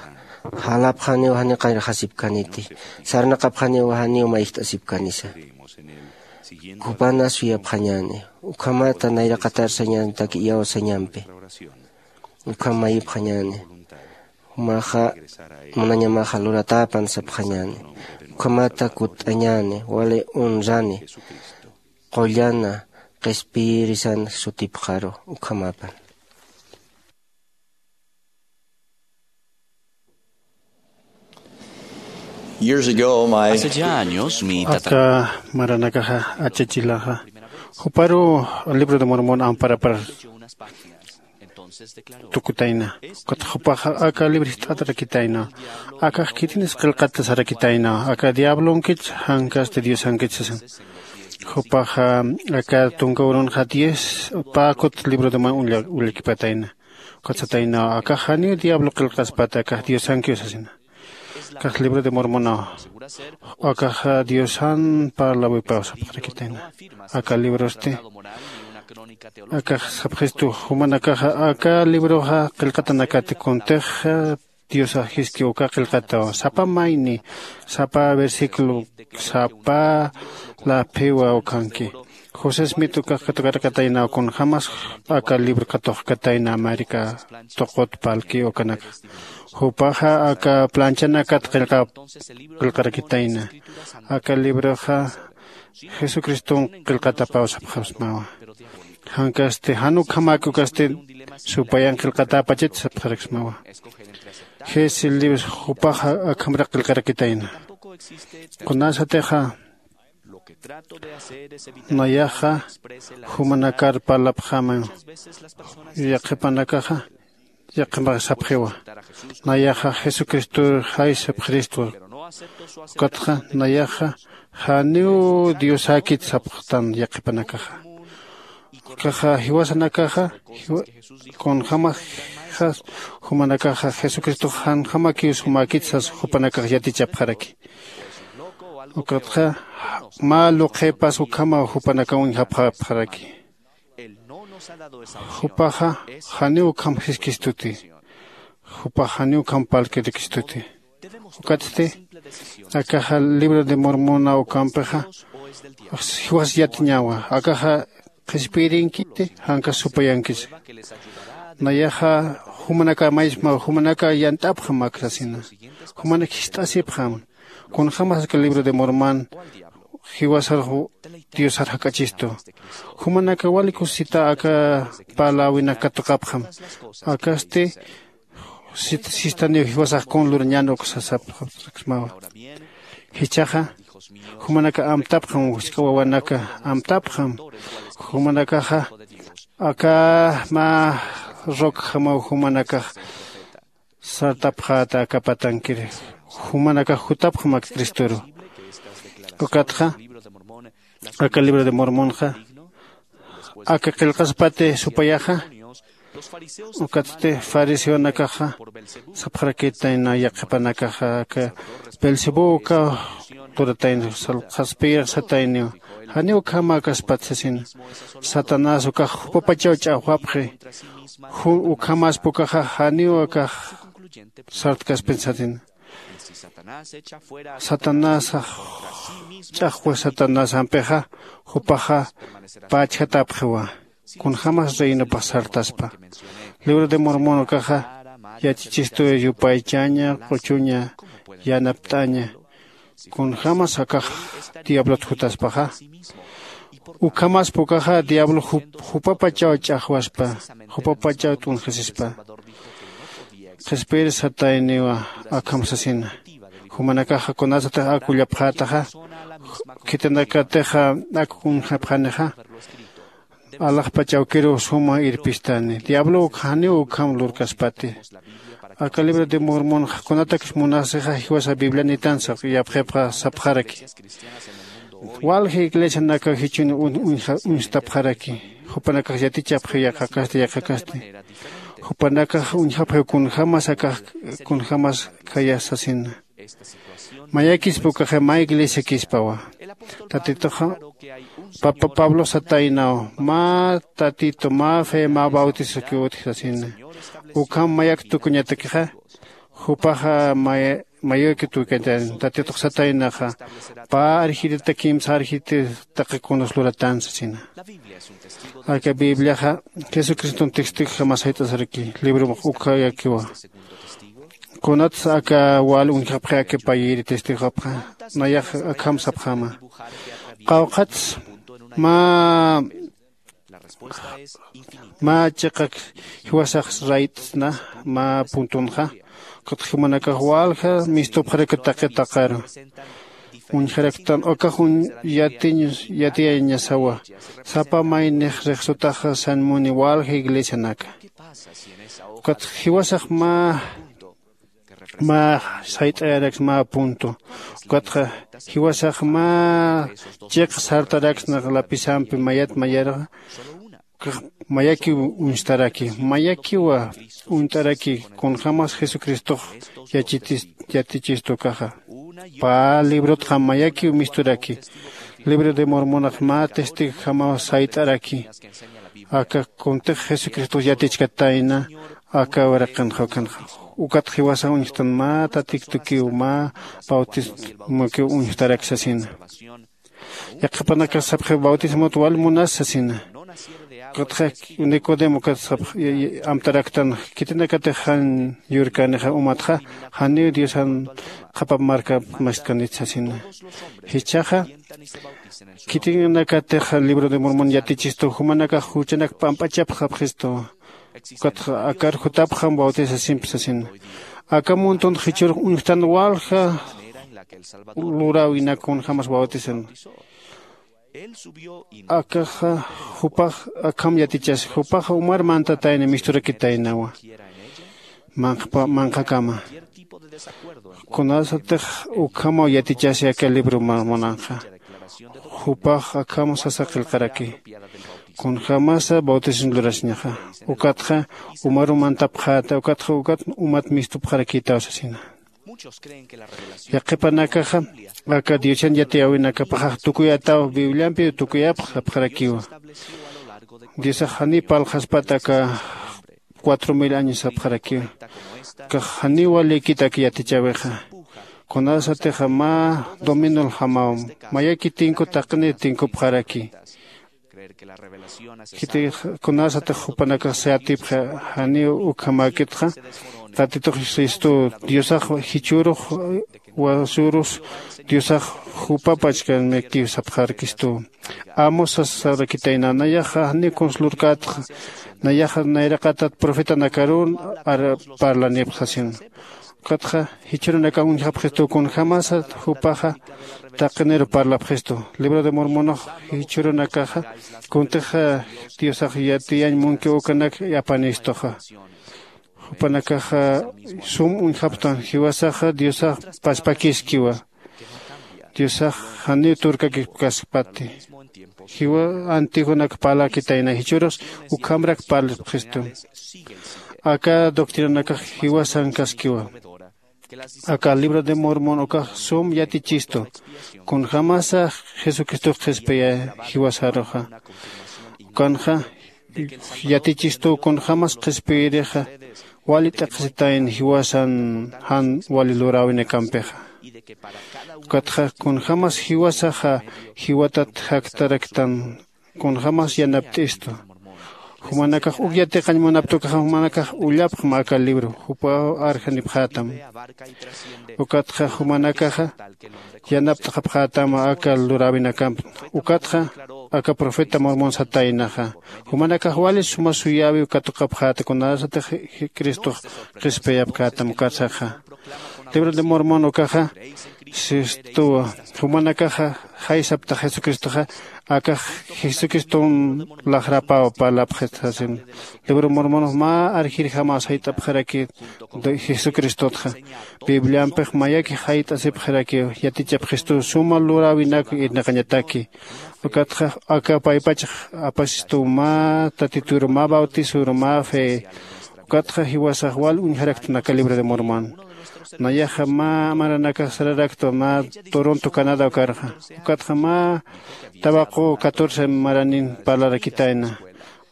Jalapxaniw janiw qayrxasipkaniti. Sarnaqapxaniw janiw mayjt'asipkanisa. Jupana suyapxañäni. Ukhamata nayraqatar sañäni taqi iyawsañampi. Ukham mayipxañäni. Jumaxa munañamaxa luratäpan sapxañäni. Ukhamata kutt'añäni wali honrani qullana qhispiyirisan sutipxaru ukhamapan. Years ago, my Hace ya años, mi tatara- Aka maranakaxa achachilaxa juparu libro de Mormon amparapar tukutayna. Ukat jupaxa aka libro jist'atarakitayna. Akax khitinis qillqata sarakitayna. Aka diablonkich jankasti diosankich sasan. Jupaxa aka tunka urunxa diez pä kut libro de Mormon ulla- ullakipatayna. Ukat satayna, akax janiw diablo qillqaspata, akax diosankiw sasina. Akax libro de Mormonaw. Akaxa diosan parlawipaw sapxarakitayna. Aka librosti akax sapxistu jumanakaxa aka libroxa qillqatanakati kuntixa Diosax jiski uka qillqataw sapa mayni, sapa versículo, sapa laphiwa ukanki. José smit ukax katukarakataynaw kunjämas aka libro katuqkatayna américa tuqut palki ukanaka. Jupaxa aka planchanakat qillqarakitayna. Aka libroxa jesucriston qillqatapaw sapxasmawa. Jankasti jan ukhamäki ukasti supayan qillqatäpachit sapxaraksmawa. Jisi libros jupaxa akhamrak qillqarakitayna. Kunasatixa nayaxa jumanakar parlapxämaw. Yaqhipanakaxa yaqhimax sapxiwa. Nayaxa jesucristor jay sapxiristwa. Ukatxa nayaxa janiw diosäkit sapxtan yaqhipanakaxa. Ukaxa jiwasanakaxa kunjämaxa jumanakaxa jesucristox janjamakiw sumäkit sas jupanakax yatichapxaraki. Ukatxa mä luqhipas ukhamaw jupanakaw uñjapxapxaraki. Jupaxa janiw ukham jiskistuti. Jupax janiw ukham parlkirikistuti. Ukatsti akaxa libro de mormona ukampixa jiwas yatiñawa. Akaxa qhispiyirinkiti janka supayankisa. Nayaxa jumanaka mayismaw jumanaka yant'apxam ak sasina. Jumanak jist'asipxam. Kunjämas aka libro de mormon jiwasar diosar jak'achistu. Jumanaka wali kusisita aka parläwinak katuqapxam. Akasti sistaniw jiwasax kun lurañän uk sasapxapxsmawa. Jichhaxa jumanaka amtapxam. Jisk'a wawanaka amtapxam. Jumanakaxa aka mä rocjamaw jumanakax sartapxäta aka patankir. Jumanakax jutapxam ak cristoru. Ukatxa aka libro de mormonxa aka qillqaspati supayaxa. Ukatsti fariseonakaxa sapxarakitayna yaqhipanakaxa aka belcebú ukaw turatayna qhaspiyir satayniw. Janiw ukhamäkaspat sasina. Satanás ukax jupapachaw ch'axwapxi. Ukhamaspa ukaxa janiw akax sartkaspin sasina. Satanasax ch'axwa satanasampixa jupaxa pächjatapxiwa. Kunjämas reinopax sartaspa. Libro de mormon ukaxa yachachistu yupaychaña q'uchuña yanapt'aña. Kunjämas akax diablot jutaspaxa. Ukhamaspa ukaxa diablo jupapachaw ch'axwaspa. Jupapachaw t'unxasispa. Qhispiyir satayniwa akham sasina. Jumanakaxa kunasatix ak ullapxätaxa khitinakatixa ak uñjapxanixa. Alaxpachawkiruw suma irpistani diablow janiw ukham lurkaspati. Aka libro de mormonxa kunatakis munasixa jiwasa biblianitan saq'iyapxipxa sapxaraki. Walja iglesianakaw jichhun uñstapxaraki. Jupanakax yatichapxi yaqhakasti yaqhakasti. Jupanakax uñjapxiw kunjämas akax kunjämas khayas sasina. Mayakispa ukaxa mä iglesiakispawa. Tatituxa pablo sataynaw mä tatitu mä fe mä bautisokiw utji sasina. Ukham mayak tukuñatakixa jupaxa mayuki tukuñatakixa tatitux sataynaxa pä arjirita kimsa arjirita taqi kunas luratan sasina. Aka bibliaxa jesucriston testigojama sayt'asaraki. Libromax ukhayakiwa. Kunatsa aka wal uñjapxi aka payiri testigopxa nayax akham sapxama. Qawqhats mä mä chiqak jiwasax rayt'sna mä puntunxa. Ukatxa jumanakax walja mistupxaraki taqi taqaru uñjaraktan ukax yatiyañasawa. Sapa maynix rixsutaxa sanmuni walja iglesianaka. Ukatxa jiwasax mä mä sayt'ayaraksna mä punto. Ukatxa jiwasax mä chiq sartaraksna lapisampi mayat mayarxa. Mayakiw uñstaraki mayakiwa uñt'araki. Kunjämas jesucristox yachichistu ukaxa pä librotxa mayakiw misturaki. Libro de mormonax mä testigojamaw sayt'araki. Aka kuntix jesucristox yatichkatayna aka uraqinxa ukanxa. Ukat jiwasax uñjtan mä tatiktukiw mä bautismokiw uñjtarak sasina. Yaqhipanakax sapxi bautismot wal munas sasina. Ukatxa nicodemo ukat sapx amtaraktan, khitinakatix jan yurkänixa umatxa janiw diosan qhapap markap mastkanit sasina. Jichhaxa khitinakatix libro de mormon yatichistu jumanakax juchanak p'amp'achapxapxistu. Ukatxa akar jutapxam bautisasimp sasina. Aka muntun jichhürux uñjtan walja luräwinak kunjämas bautisan. Akaxa jupax akham yatichas jupaxa umar mantatayna misturakitaynawa. Manqhakama kunasatix ukhamaw yatichasi aka libro mormonanxa. Jupax akham sasa qillqaraki kunjämasa bautisan lurasiñaxa. Ukatxa umaru mantapxäta ukatxa ukat umat mistupxarakïtaw sasina. Yaqhipanakaxa aka diosan yatiyäwinakapaxax tukuyataw bibliampiw tukuyapx sapxarakiwa. Diosax janiw parlxaspat aka cuatro mil años sapxarakiwa. Kax janiw walïkit aka yatichäwixa. Kunasatixa mä dominol jamawam mayaki tinku taqinir tinkupxaraki. Khiti kunasatix jupanakax sayatipxi janiw ukhamäkitxa tatitux sistuw diosax jichhürux wasürus diosax jupapachkanmiktiw sapxarakistuw. Amos sasarakitayna nayaxa janiw kunsa lurkätxa. Nayaxa nayraqatat profetanakarun parlanipxi sasin. Ukatxa jichhürunakax uñjapxistuw kunjämasa jupaxa taqiniru parlapxistu. Libro de mormonax jichhürunakaxa kuntix diosax yatiyañ munkiw ukanak apanistuxa. Jupanakaxa sum uñjapxtan jiwasaxa diosax paspakiskiwa. Diosax janiw turkakipkaskpati. Jiwa antiguonak parlakitayna jichhürus ukhamrak parlipxistu. Aka doctrinanakax jiwasankaskiwa. Aka libro de mormon ukax sum yatichistu kunjämasa jesucristox qhispiyä jiwasaruxa. Ukanxa yatichistuw kunjämas qhispiyirixa wali t'aqhisitayna jiwasan jan wali luräwinakampixa. Ukatxa kunjämas jiwasaxa jiwatat jaktaraktan kunjämas yanapt'istu. Jumanakax uk yatiqañ munaptukaxa jumanakax ullapxma aka libro jupaw arjanipxätam. Ukatxa jumanakaxa yanapt'xapxätam aka luräwinakamp. Ukatxa aka profeta mormon sataynaxa jumanakax wali suma suyäwiw katuqapxäta kunasatix cristox qhispiyapkätam ukatsaxa. Libro de mormon ukaxa sistuwa jumanakaxa jaysaptax jesucristoxa akax jesucriston laxrapaw parlapxit sasin. Libro mormonox mä arjirjamaw sayt'apxarakit jesucristotxa. Bibliampix mayakix jayt'asipxarakiw yatichapxistuw suma luräwinak irnaqañataki. Ukatxa aka paypachax apasistuw mä tatituru mä bautisuru mä fe. Ukatxa jiwasax wal uñjaraktan aka libro de mormon. Nayaxa mä maranakax sararaktwa mä toronto canada ukarxa. Ukatxa mä tawaqu catorce maranin parlarakitayna.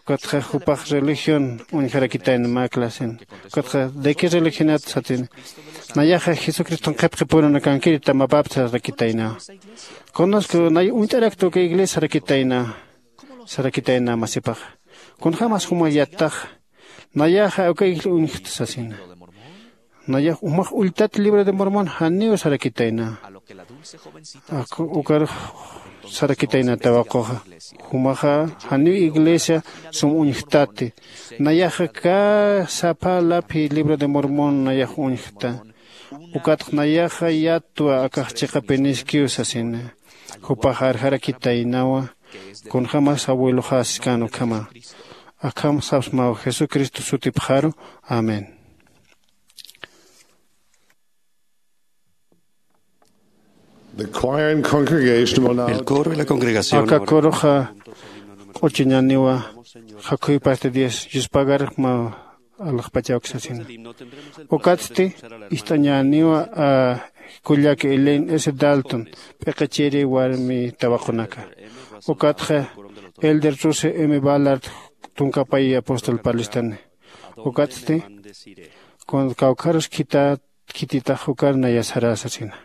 Ukatxa jupax religión uñjarakitayna mä clasen. Ukatxa de qué religionat satin. Nayaxa jesucriston qhipqipurunakankiri tamapapta sarakitaynawa. Conozco nay uñt'arakta uka iglesia sarakitaynawa. Sarakitayna masipaxa. Kunjämas juma yattaxa nayaxa uka iglesia uñjta sasina. Nayax umax ulltat libro de mormon janiw sarakitayna. Ukarux sarakitayna tawaquxa. Jumaxa janiw iglesia sum uñjtati. Nayaxa kä sapa laphi libro de mormon nayax uñjta. Ukatx nayaxa yatwa akax chiqapiniskiw sasina. Jupax arjarakitaynawa. Kunjämas abueloxäskän ukhama. Akham sapsmaw jesucristo sutipxaru. Amén. The choir and congregation will now El coro y la congregación aka ahora coroxa q'uchañaniwa. Jakhuypasti dios yuspagarma alaxpachawksasina. Ukatsti ist'añaniwa kullak elaine s dalton p'iqichiri warmi tawaqunaka. Ukatxa elder ruse m ballard tunkapay apóstol parlistani. Ukatsti Kun kawkharus khita khititax jukar nayasarasa sina.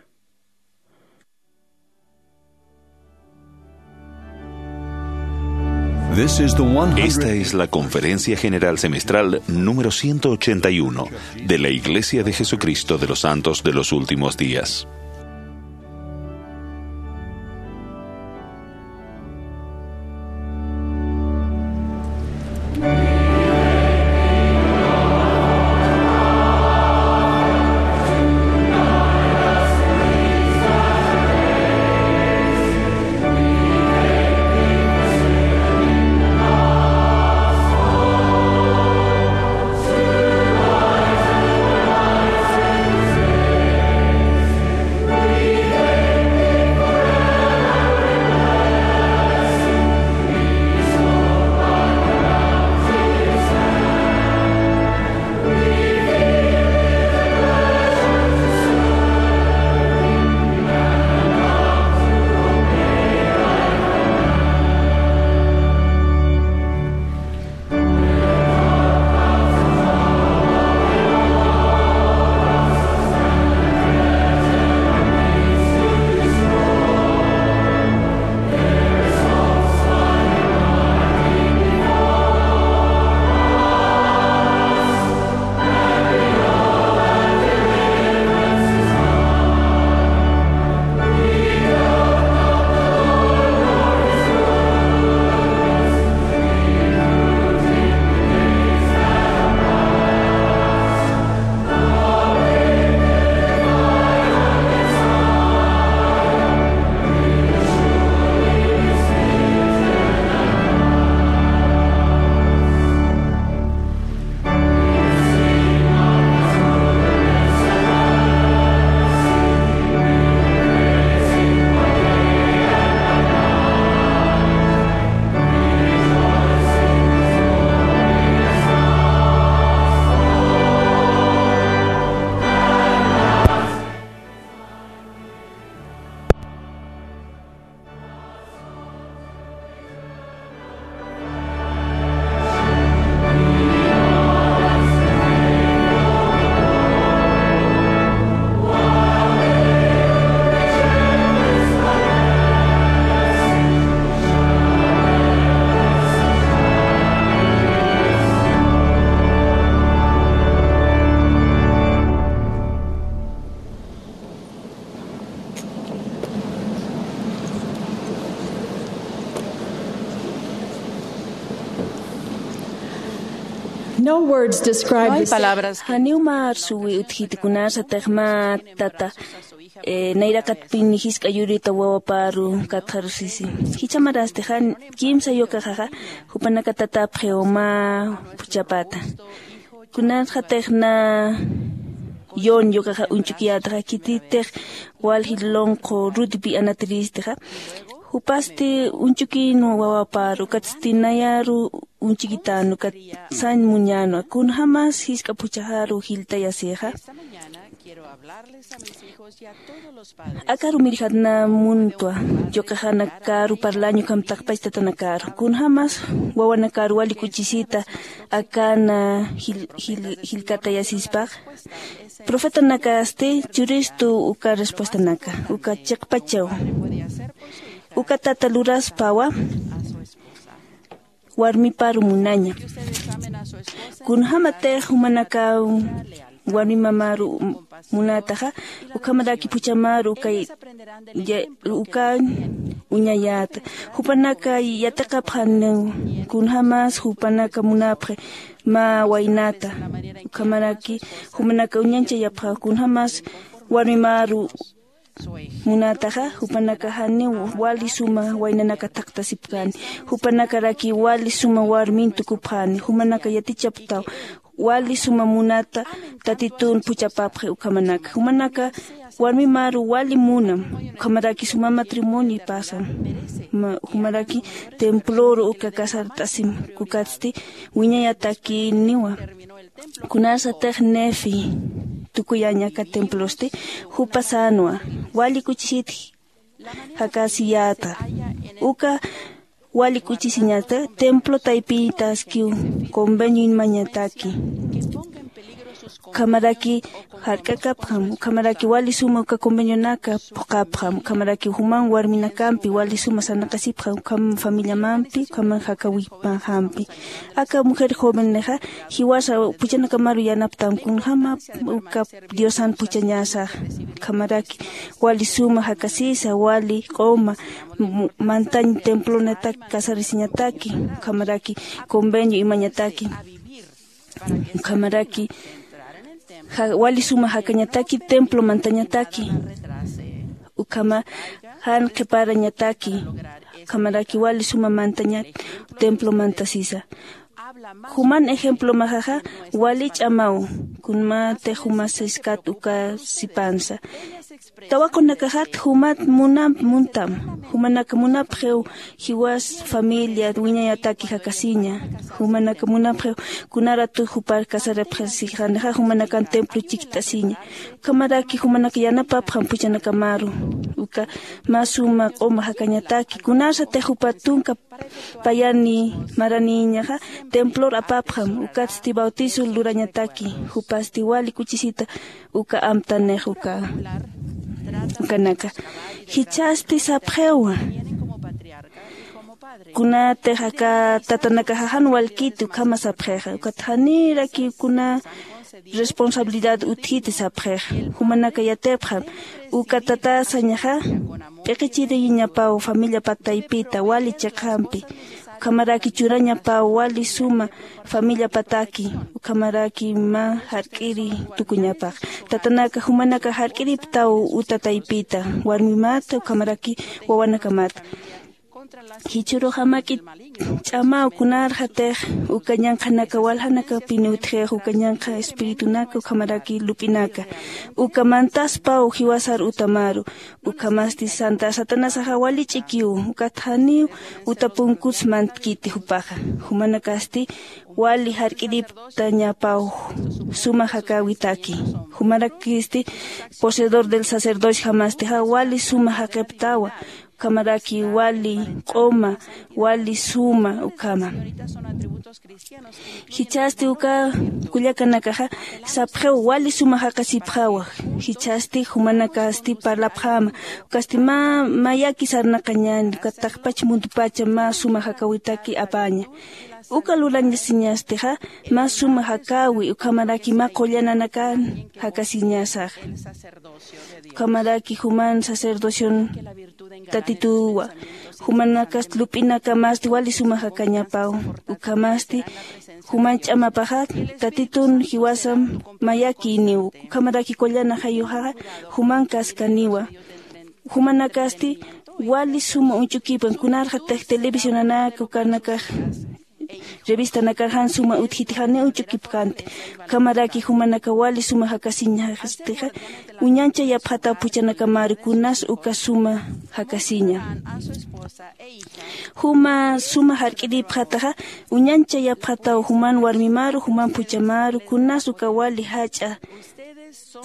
Esta es la conferencia general semestral número ciento ochenta y uno de la Iglesia de Jesucristo de los Santos de los Últimos Días. No words describe the... Janiw mä arsuwi utjiti kunasatix mä tata, eh, nayraqatpin jisk'a yurita wawaparu katxarusisi. Jichhamarasti jan kimsa yukaxaxa, jupanaka tatapxiw mä phuchhapata. Kunasatix na John yukaxa uñch'ukiyätaxa, khititix walji lonq'u Rudpi Anatiristixa, jupasti uñch'ukïnwa wawaparu, ukatsti nayaru uñch'ukitänwa, ukat sañ muñänwa, kunjämas jisk'a phuchhaxaru jiltayasixa. Akaru mirjatna muntwa, yukaxa nakaru parlaña ukham taqpach tatanakaru. Kunjämas wawanakaru wali k'uchisita akana jil-, jil-, jilkatayasispax. Profetanakasti churistu uka respuestanaka, uka chiqpachaw. Uka tata luraspawa warmiparu munaña. Kunjämatix jumanakaw warmi mamaru munätaxa, ukhamaraki phuchhamaru uka ya-, uka uñayäta. Jupanaka yatiqapxaniw kunjämas jupanaka munapxi mä waynata. Ukhamaraki jumanaka uñanchayapxä kunjämas warmi maru munataxa, jupanaka janiw wali suma waynanaka thaqtasipkani, jupanakaraki wali suma warmin tukupxani, jumanaka yatichapktaw wali suma munata Tatitun phuchhapapxi ukhamanaka. Jumanaka warmi maru wali munam, ukhamaraki suma matrimonio pasam. Ma-, jumaraki temploru uka casart'asim, ukatsti wiñayatakiniwa. Kunasatix Nefi tukuyaña aka templosti, jupa sänwa, wali k'uchisit jakasiyäta. Uka wali k'uchisiñata templo taypitaskiw convenioñ mañataki. Ukhamaraki jark'akapxam, ukhamaraki wali suma uka convenionaka phuqapxam, ukhamaraki juman warminakampi wali suma sarnaqasipxam, ukham familiamampi ukhaman jakawipanxampi. Aka mujer jovennixa jiwasa puchanakamaru yanaptam, kunjama uka diosan puchañasax. Ukhamaraki wali suma jakasisa, wali q'uma, m- mantañ templonatak casarisiñataki, ukhamaraki convenio imañataki, ukhamaraki ja- wali suma jakañataki templo mantañataki, ukhama jan qhiparañataki, ukhamaraki wali suma mantañat templo mantasisa. Juman ejemplo maxaxa wali ch'amaw, kunmati jumasiskat uka sipansa. Tawaqunakaxat jumat munam muntam, jumanaka munapxiw jiwas familia wiñayataki jakasiña, jumanaka munapxiw kunaratu jupar casarapxasixanixa jumanakan templo chikt'asiña. Ukhamaraki jumanaka yanapapxam puchanakamaru, uka mä suma q'uma jakañataki, kunasatix jupa tunka payani maraniñaxa templor apapxam, ukatsti bautizo lurañataki, jupasti wali kuchisita uka amtanix uka ukanaka. Jichhasti sapxiwa, kunatix aka tatanakaxa jan walkiti ukhama sapxixa, ukat janiraki kuna responsabilidad utjiti sapxixa. Jumanaka yatipxam, uka tatasañaxa p'iqichiriñapaw familia pataypita wali chiqampi, ukhamaraki churañapaw wali suma familia pataki, ukhamaraki mä jark'iri tukuñapax. Tatanaka jumanaka jark'iriptaw uta taypita, warmimata ukhamaraki wawanakamata. Jichhüruxa mä k'it ch'amaw kunarxatix uka ñanqhanaka waljanakapini utjix, uka ñanqha espiritunaka ukhamaraki lup'inaka uka mantaspaw jiwasar utamaru. Ukhamasti santa satanasaxa wali ch'ikiw, ukat janiw uta punkuts mantkiti jupaxa. Jumanakasti wali jark'iriptañapaw suma jakäwitaki. Jumanakisti poseedor del sacerdocio jamastixa wali suma jaqiptawa, ukhamaraki wali q'uma, wali suma ukhama. Jichhasti uka kullakanakaxa sapxiw wali suma jaqasipxawa. Jichhasti jumanakasti parlapxäma, ukasti mä mayaki sarnaqañäni, ukat taqpach muntupacha mä suma jakäwitaki apäña. Uka lurañasiñastixa mä suma jakäwi, ukhamaraki mä qullananakan jakasiñasaxa. Ukhamaraki juman sacerdocion Tatituwa, jumanakasti lup'inakamasti wali suma jakañapaw. Ukhamasti juman ch'amapaxa Tatitun jiwasam mayakïniw, ukhamaraki qullana jayuxaxa juman kaskaniwa. Jumanakasti wali suma uñch'ukipan, kunarxatix televisionanaka ukanakax revistanakar jan suma utjiti janiw uñch'ukipkänti. Ukhamaraki jumanaka wali suma jakasiñastixa uñanchayapxataw puchanakamar kunas uka suma jakasiña. Juma suma jark'iripxataxa uñanchayapxataw juman warmimaru, juman puchamaru, kunas uka wali jach'a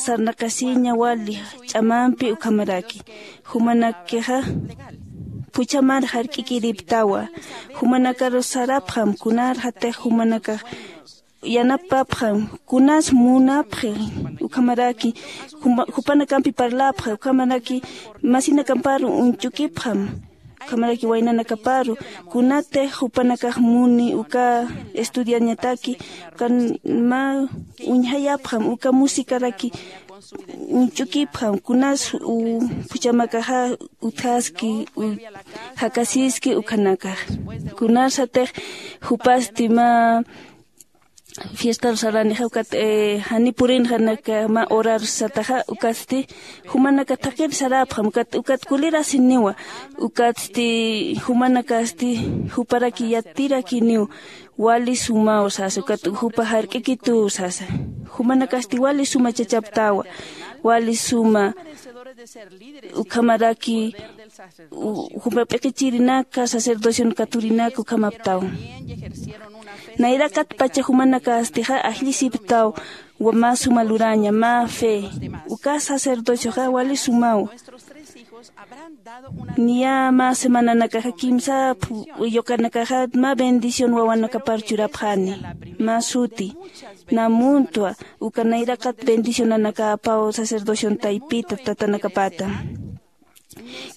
sarnaqasiña wali ch'amampi ukhamaraki. Jumanakixa puchamar jark'ikiriptawa. Jumanakaru sarapxam, kunarxatix jumanakax yanapapxam, kunas munapxi ukhamaraki, juma- jupanakampi parlapxi ukhamaraki, masinakamparu uñch'ukipxam, ukhamaraki waynanakaparu, kunatix jupanakax muni uka estudiañataki, ukan mä uñjayapxam, uka musicaraki uñch'ukipxam, kunas u- puchamakaxa utjaski, u- jakasiski ukhanakax. Kunasatix jupasti mä fiestar saranixa, ukat, eh, jani purinxanaka mä horar sataxa, ukatsti jumanaka thaqhir sarapxam, ukat, ukat kulirasiniwa, ukatsti jumanakasti juparaki yatirakiniw, wali sumaw sasa, ukat jupa jark'ikituw sasa. Jumanakasti wali suma chachaptawa, wali suma ukhamaraki, u- juma p'iqichirinaka, sacerdocion katurinaka ukhamaptaw. Nayrakat pacha jumanakastixa ajllisiptaw, wa- mä suma luraña, mä fe. Uka sacerdocioxa wali sumaw. Niya mä semananakaxa kimsa phu- yuqanakaxa mä bendición wawanakapar churapxani. Mä suti. na muntwa uka nayraqat bendicionanakapaw sacerdociontaypita tatanakapata.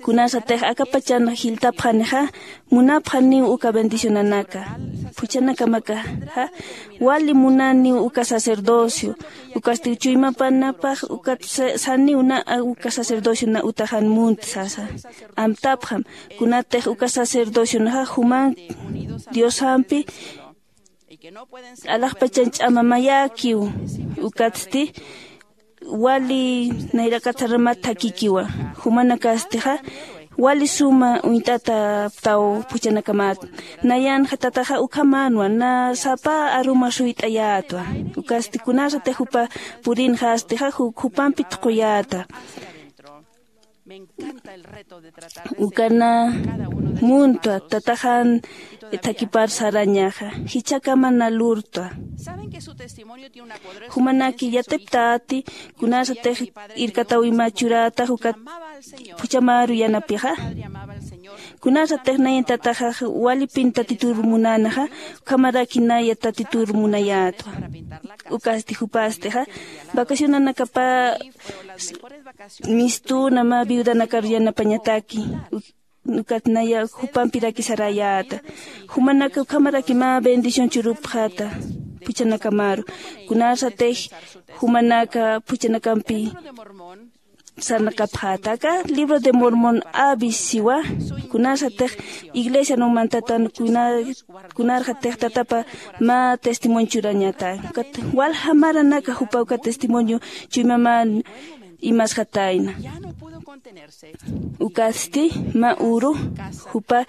Kunasatix akapachan jiltapxanixa munapxaniw uka bendicionanaka phuchhanakamakaxa wali munaniw uka sacerdocio. Ukasti chuymapanapax ukat saniw na uka sacerdocio na utaxan munt sasa. Amtapxam kunatix uka sacerdocionaxa juman diosampi alaxpachan ch'amamayäkiw. Ukatsti wali nayraqat saramath thakhikiwa. Jumanakastixa wali suma uñt'ataptaw phuchhanakamat. Nayanxa tataxa ukhamänwa na sapa aruma suyt'ayätwa. Ukasti kunasatix jupa purinxastixa jupampi thuquyäta. Ukana muntwa tataxan thakipar sarañaxa jichhakama na lurtwa. Jumanaki yatiptäti kunasatix irkatawima churätax ukat phuchhamaru yanapixa. Kunasatix nayan tataxax walipin tatitur munanaxa ukhamaraki naya tatitur munayätwa. Ukasti jupastixa vacacionanakapa mistuna mä viudanakar yanapañataki. Ukat naya jupampiraki sarayäta. Jumanaka ukhamaraki mä bendición churupxäta phuchhanakamaru. Kunasatix jumanaka phuchhanakampi sarnaqapxäta aka libro de mormon abis siwa. Kunasatix iglesian umantatan kunarxatix tatapa mä testimonio churañata. Ukat walja maranaka jupa uka testimonio chuymamän imasxatayna. Ukasti mä uru jupa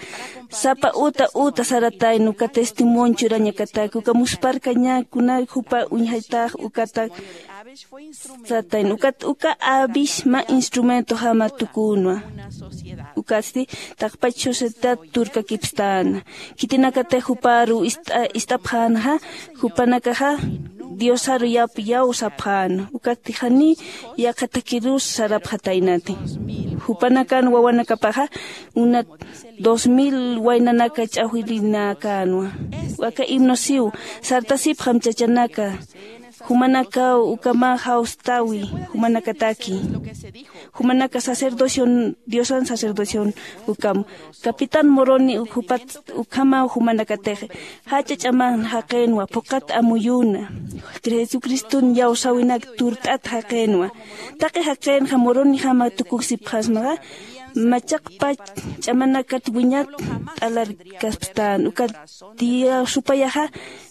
sapa uta uta saratayna uka testimonio churañakataki uka musparkañäkuna jupa uñjaytax ukata. Satayna ukat uka abis mä instrumentojama tukünwa. Ukasti taqpach sociedad turkakipstäna. Khitinakatix juparu ist'apxänxa jupanakaxa diosaru yap yaw sapxäna. Ukatix janiy yaqha thakirus sarapxataynati. Jupanakan wawanakapaxa unat dos mil waynanaka ch'axwirinäkänwa. Aka himno siw sartasipxam chachanaka. Jumanakaw ukama jawstäwi jumanakataki. Jumanaka sacerdocio diosan sacerdocion ukam capitán moroni jupat ukhamaw jumanakatix jach'a ch'aman jaqinwa phuqat amuyuna jesucriston yawsäwinak turt'at jaqinwa. Taqi jaqinxa moronijama tukuksipxasmaxa machaqpach ch'amanakat wiñat t'alarkaspstän ukat tiya supayaxa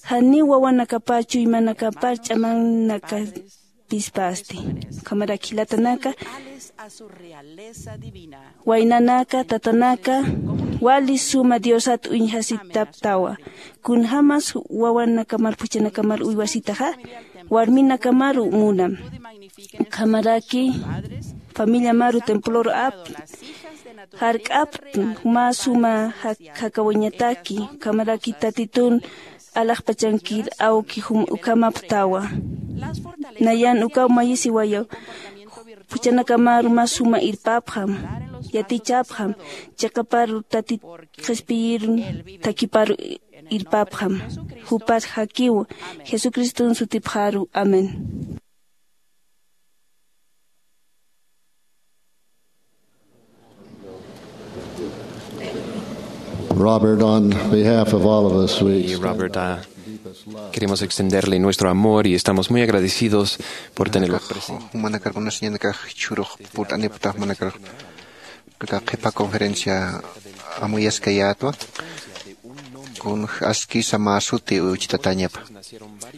janiw wawanakapar chuymanakapar ch'amanakapispasti. Ukhamaraki jilatanaka waynanaka tatanaka wali suma diosat uñjasitaptawa. Kunjämas wawanakamar phuchhanakamar uywasitaxa warminakamaru munam. Ukhamaraki familiamaru temploru apn jark'aptn mä suma jakawañataki. Ukhamaraki tatitun alaxpachankir awki ukhamaptawa. Nayan ukaw mayisiwayaw phuchhanakamaru mä suma irpapxam yatichapxam chiqaparu tatit qhispiyirun thakiparu irpapxam. Jupar jakiw jesucriston sutipxaru. Amén. Robert, on behalf of all of us, we Y Robert, ah, queremos extenderle nuestro amor y estamos muy agradecidos por tenerlo presente. Jumanakar kunasiñanakax jichhürux purt'anipxtax jumanakar aka qhipa conferencia amuyaskayätwa. Kun askisa mä suti uchtatañapa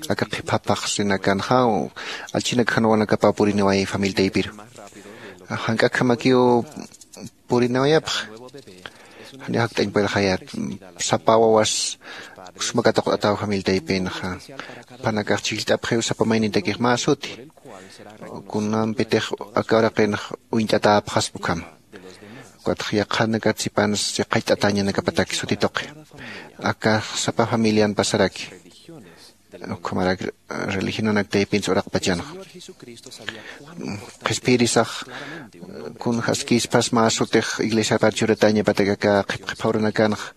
aka qhipa phaxsinakanxa allchinak jan wawanakapa puriniway familia taypiru. Jank'akhamakiw purinawayapxa janiw jakt'añ puedxayät. Sapa wawas suma katuqt'ataw familia taypinxa jupanakax chhijllt'apxiw sapa maynintakix mä suti kunampitix aka uraqinx uñt'atäpxaspa ukhama. Ukatxa yaqhanakatsipansa qhach't'atañanakapatak suti tuqi aka sapa familian pasaraki. Ukhamarak religionanak taypinsa uraqpachanxa qhispiyirisax kun jaskispas mä sutix iglesiapar churatañapatak aka qhipqhipxawranakanxa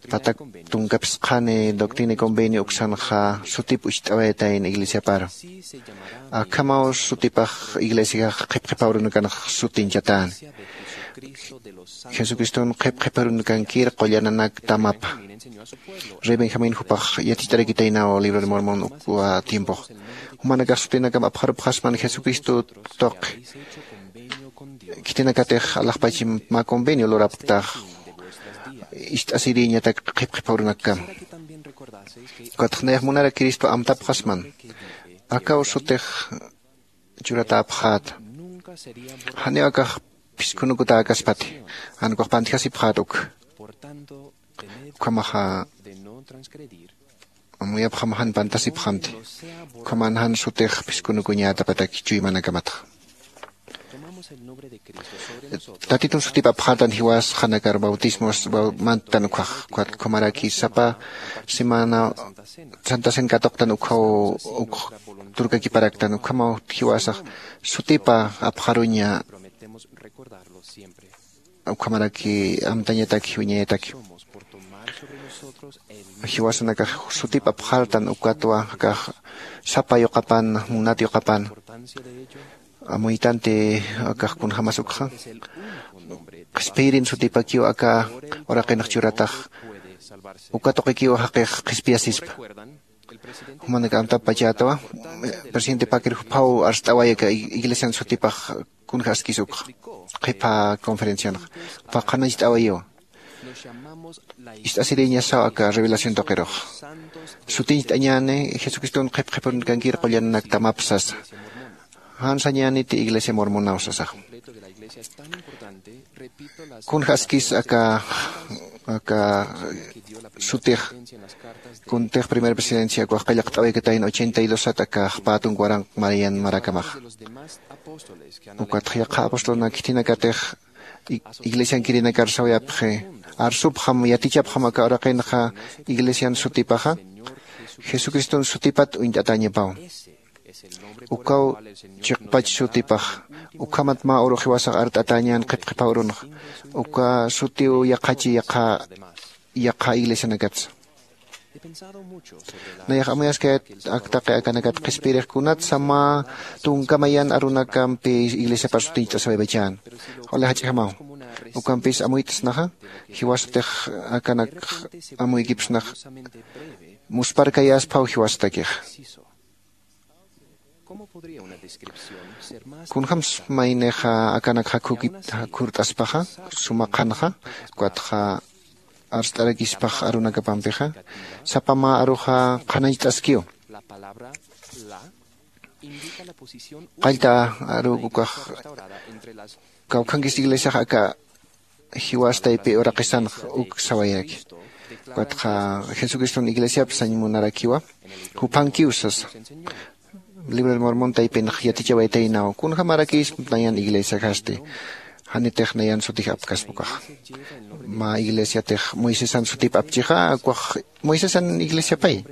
Patak tunka phisqhani doctrina y convenio uksanxa sutip ucht'awayatayna iglesiaparu. Akhamaw sutipax iglesiax qhipqhipawrunakanax sutiñchatäni. Jesucriston qhipqhipawrunakankir qullananak tamapa. Rey benjamín jupax yatich'arakitaynaw libro de mormón ukwa tiempox. Jumanakax sutinakam apxarupxasman jesucristo tuqi. Khitinakatix alaxpachim mä convenio lurapktax. Ist'asirïñatak qhipqhipawrunakkama. Ukatx nayax munara cristo amtapxasman. Akaw sutix churatäpxäta. Janiw akax phiskhunukutäkaspati. Jan ukax pantjasipxäta uk. Ukhamaxa amuyapxam jan pantasipxamti. Ukhaman jan sutix phiskhunukuñätapataki chuymanakamatxa. Tatitun sutip apxätan jiwas qhanakar bautismos mantan ukhax. Ukhamaraki sapa semana santa cena katuqtan ukhaw uk turkakiparaktan ukhamaw jiwasax sutipa apxaruña. Ukhamaraki amtañataki wiñayataki. Jiwasanakax sutip apxartan ukatwa akax sapa yuqapan munat yuqapan. Amuytanti akax kunjämas ukxa qhispiyirin sutipakiw aka uraqinx churatax. Uka tuqikiw jaqix qhispiyasispa. Jumanak amtapachätawa. Presidente pakir juphaw arst'away aka iglesian sutipax kunja askis ukxa qhipha conferencianxa juphax qhanañcht'awayiwa. Ist'asirïñasaw aka revelación tuqirux. Sutiñcht'añäni jesucriston qhipqhipurunkankir qullananak tamap sasa. Jan sañäniti iglesia mormonaw sasax. Kunja askis aka aka sutix kuntix primera presidencia ukax qillqt'awaykatayna ochenta y dos sat aka jpä tunka waranq marian marakamaxa. Ukatxa yaqha apostolnak khitinakatix iglesiankirinakar sawayapxi. Arsupxam yatichapxam aka uraqinxa iglesian sutipaxa jesucriston sutipat uñt'atäñapaw. Ukaw chiqpach sutipax. Ukhamat mä urux jiwasax art'atäñän qhipqhipha urunxa. Uka sutiw yaqhachi yaqha yaqha iglesianakatsa. Nayax amuyaskayat aktaqi akanakat qhispiyirix kunatsa mä tunka mayan arunakampi iglesiapar sutiñcht'asawaypachän. Juli jach'jamaw. Ukampis amuyt'snaxa jiwasatix akanak amuykipsnax. Muspharkayäsphaw jiwasatakixa. Kunjämsa maynixa akanak jakhukit jakhurt'aspaxa suma qhanxa ukatxa arst'arakispax arunakapampixa sapa mä aruxa qhanañcht'askiw. Qallta aru ukax kawkhankis iglesiax aka jiwas taypi uraqisanx uk sawayaki. Ukatxa jesucriston iglesiap sañ munarakiwa juphankiw sasa. Libro de mormon taypinx yatichawaytaynaw kunjamarakis nayan iglesiajasti. Janitix nayan sutij apkaspa ukaxa. Mä iglesiatix moisesan sutip apchixa ukax moisesan iglesiapay.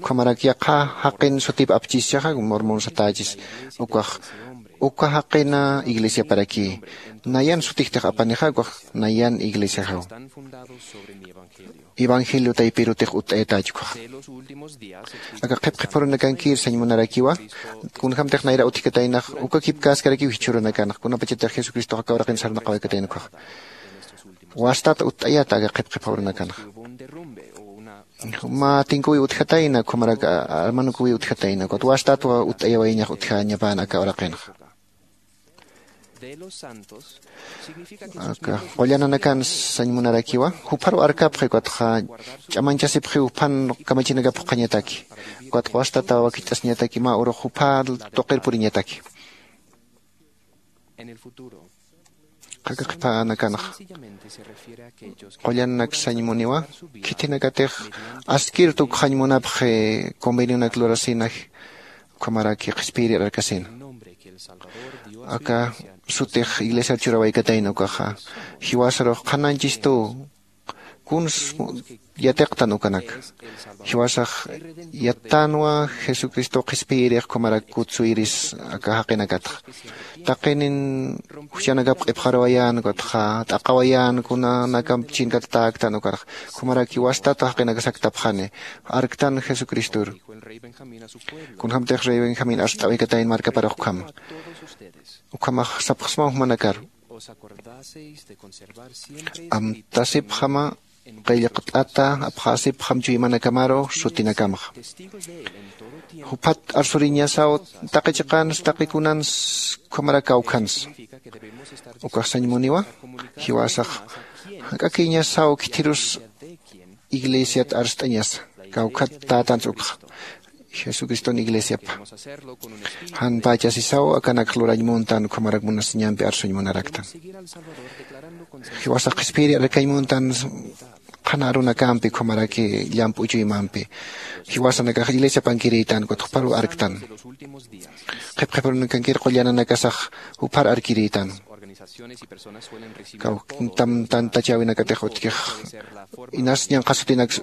Ukhamarak yaqha jaqin sutip apchischaxa mormon satächis. Ukax uka jaqina iglesiaparakï. Nayan sutijtix apanixa ukax nayan iglesiaxaw. Evangelio taypirutix utt'ayatäch ukaxa. Aka qhipqhipurunakankir sañ munarakiwa. Kunjämtix nayra utjkataynax uka kipkäskarakiw jichhürunakanxa kunapachatix jesucristox aka uraqin sarnaqawaykatayna ukaxa. Wastat utt'ayata aka qhipqhipurunakanax. Mä tinkuwi utjatayna ukhamarak armanukuwi utjatayna ukat wastatwa utt'ayawayñax utjañapäna aka uraqinxa. Aka qullananakan sañ munarakiwa jupharu arkapxi ukatxa ch'amañchasipxiw juphan kamachinakap juqhañataki. Ukatxa wastata wakicht'asiñataki mä urux jupha tuqir puriñataki. Qhaka qhiphanakanxa qullananak sañ muniwa. Khitinakatix askir tukxañ munapxi convenionak lurasinaji. Ukhamaraki qhispiyiri arkasina aka sutix iglesiar churawaykatayna ukaxa jiwasarux qhanañchistuw. Kuns yatiqtan ukanak. Jiwasax yattanwa jesucristo qhispiyirix ukhamarak kutsuyiris aka jaqinakatxa. Taqinin juchanakap q'ipxarawayän ukatxa t'aqawayän kunanakamp chinkatatäktan ukarxa. Ukhamarak jiwastat jaqinakas aktapxani. Arktan jesucristor. Kunjämtix rey benjamín arst'awikatayn markaparux ukhama. Ukhamax sapxsmaw jumanakaru. Amtasipxama qillqt'ata apxäsipxam chuymanakamaru sutinakamxa. Juphat arsuriñasaw taqi chiqans taqi kunans ukhamarak kawkhans. Ukax sañ muniwa jiwasax jak'akïñasaw khithirus iglesiat arst'añasa kawkhat tätans ukxa. Jesucriston iglesiapa jan pächasisaw akanak lurañ muntan ukhamarak munasiñampi arsuñ munaraktan. Jiwasax qhispiyiri arkañ muntan qhana arunakampi ukhamaraki llamp'u chuymampi jiwasanakax iglesiapankirïtan ukat juparu arktan. Qhipqhiparunakankir qullananakasax jupar arkirïtan. Kawktam tantachäwinakatix utjkix inas ñanqha sutinaks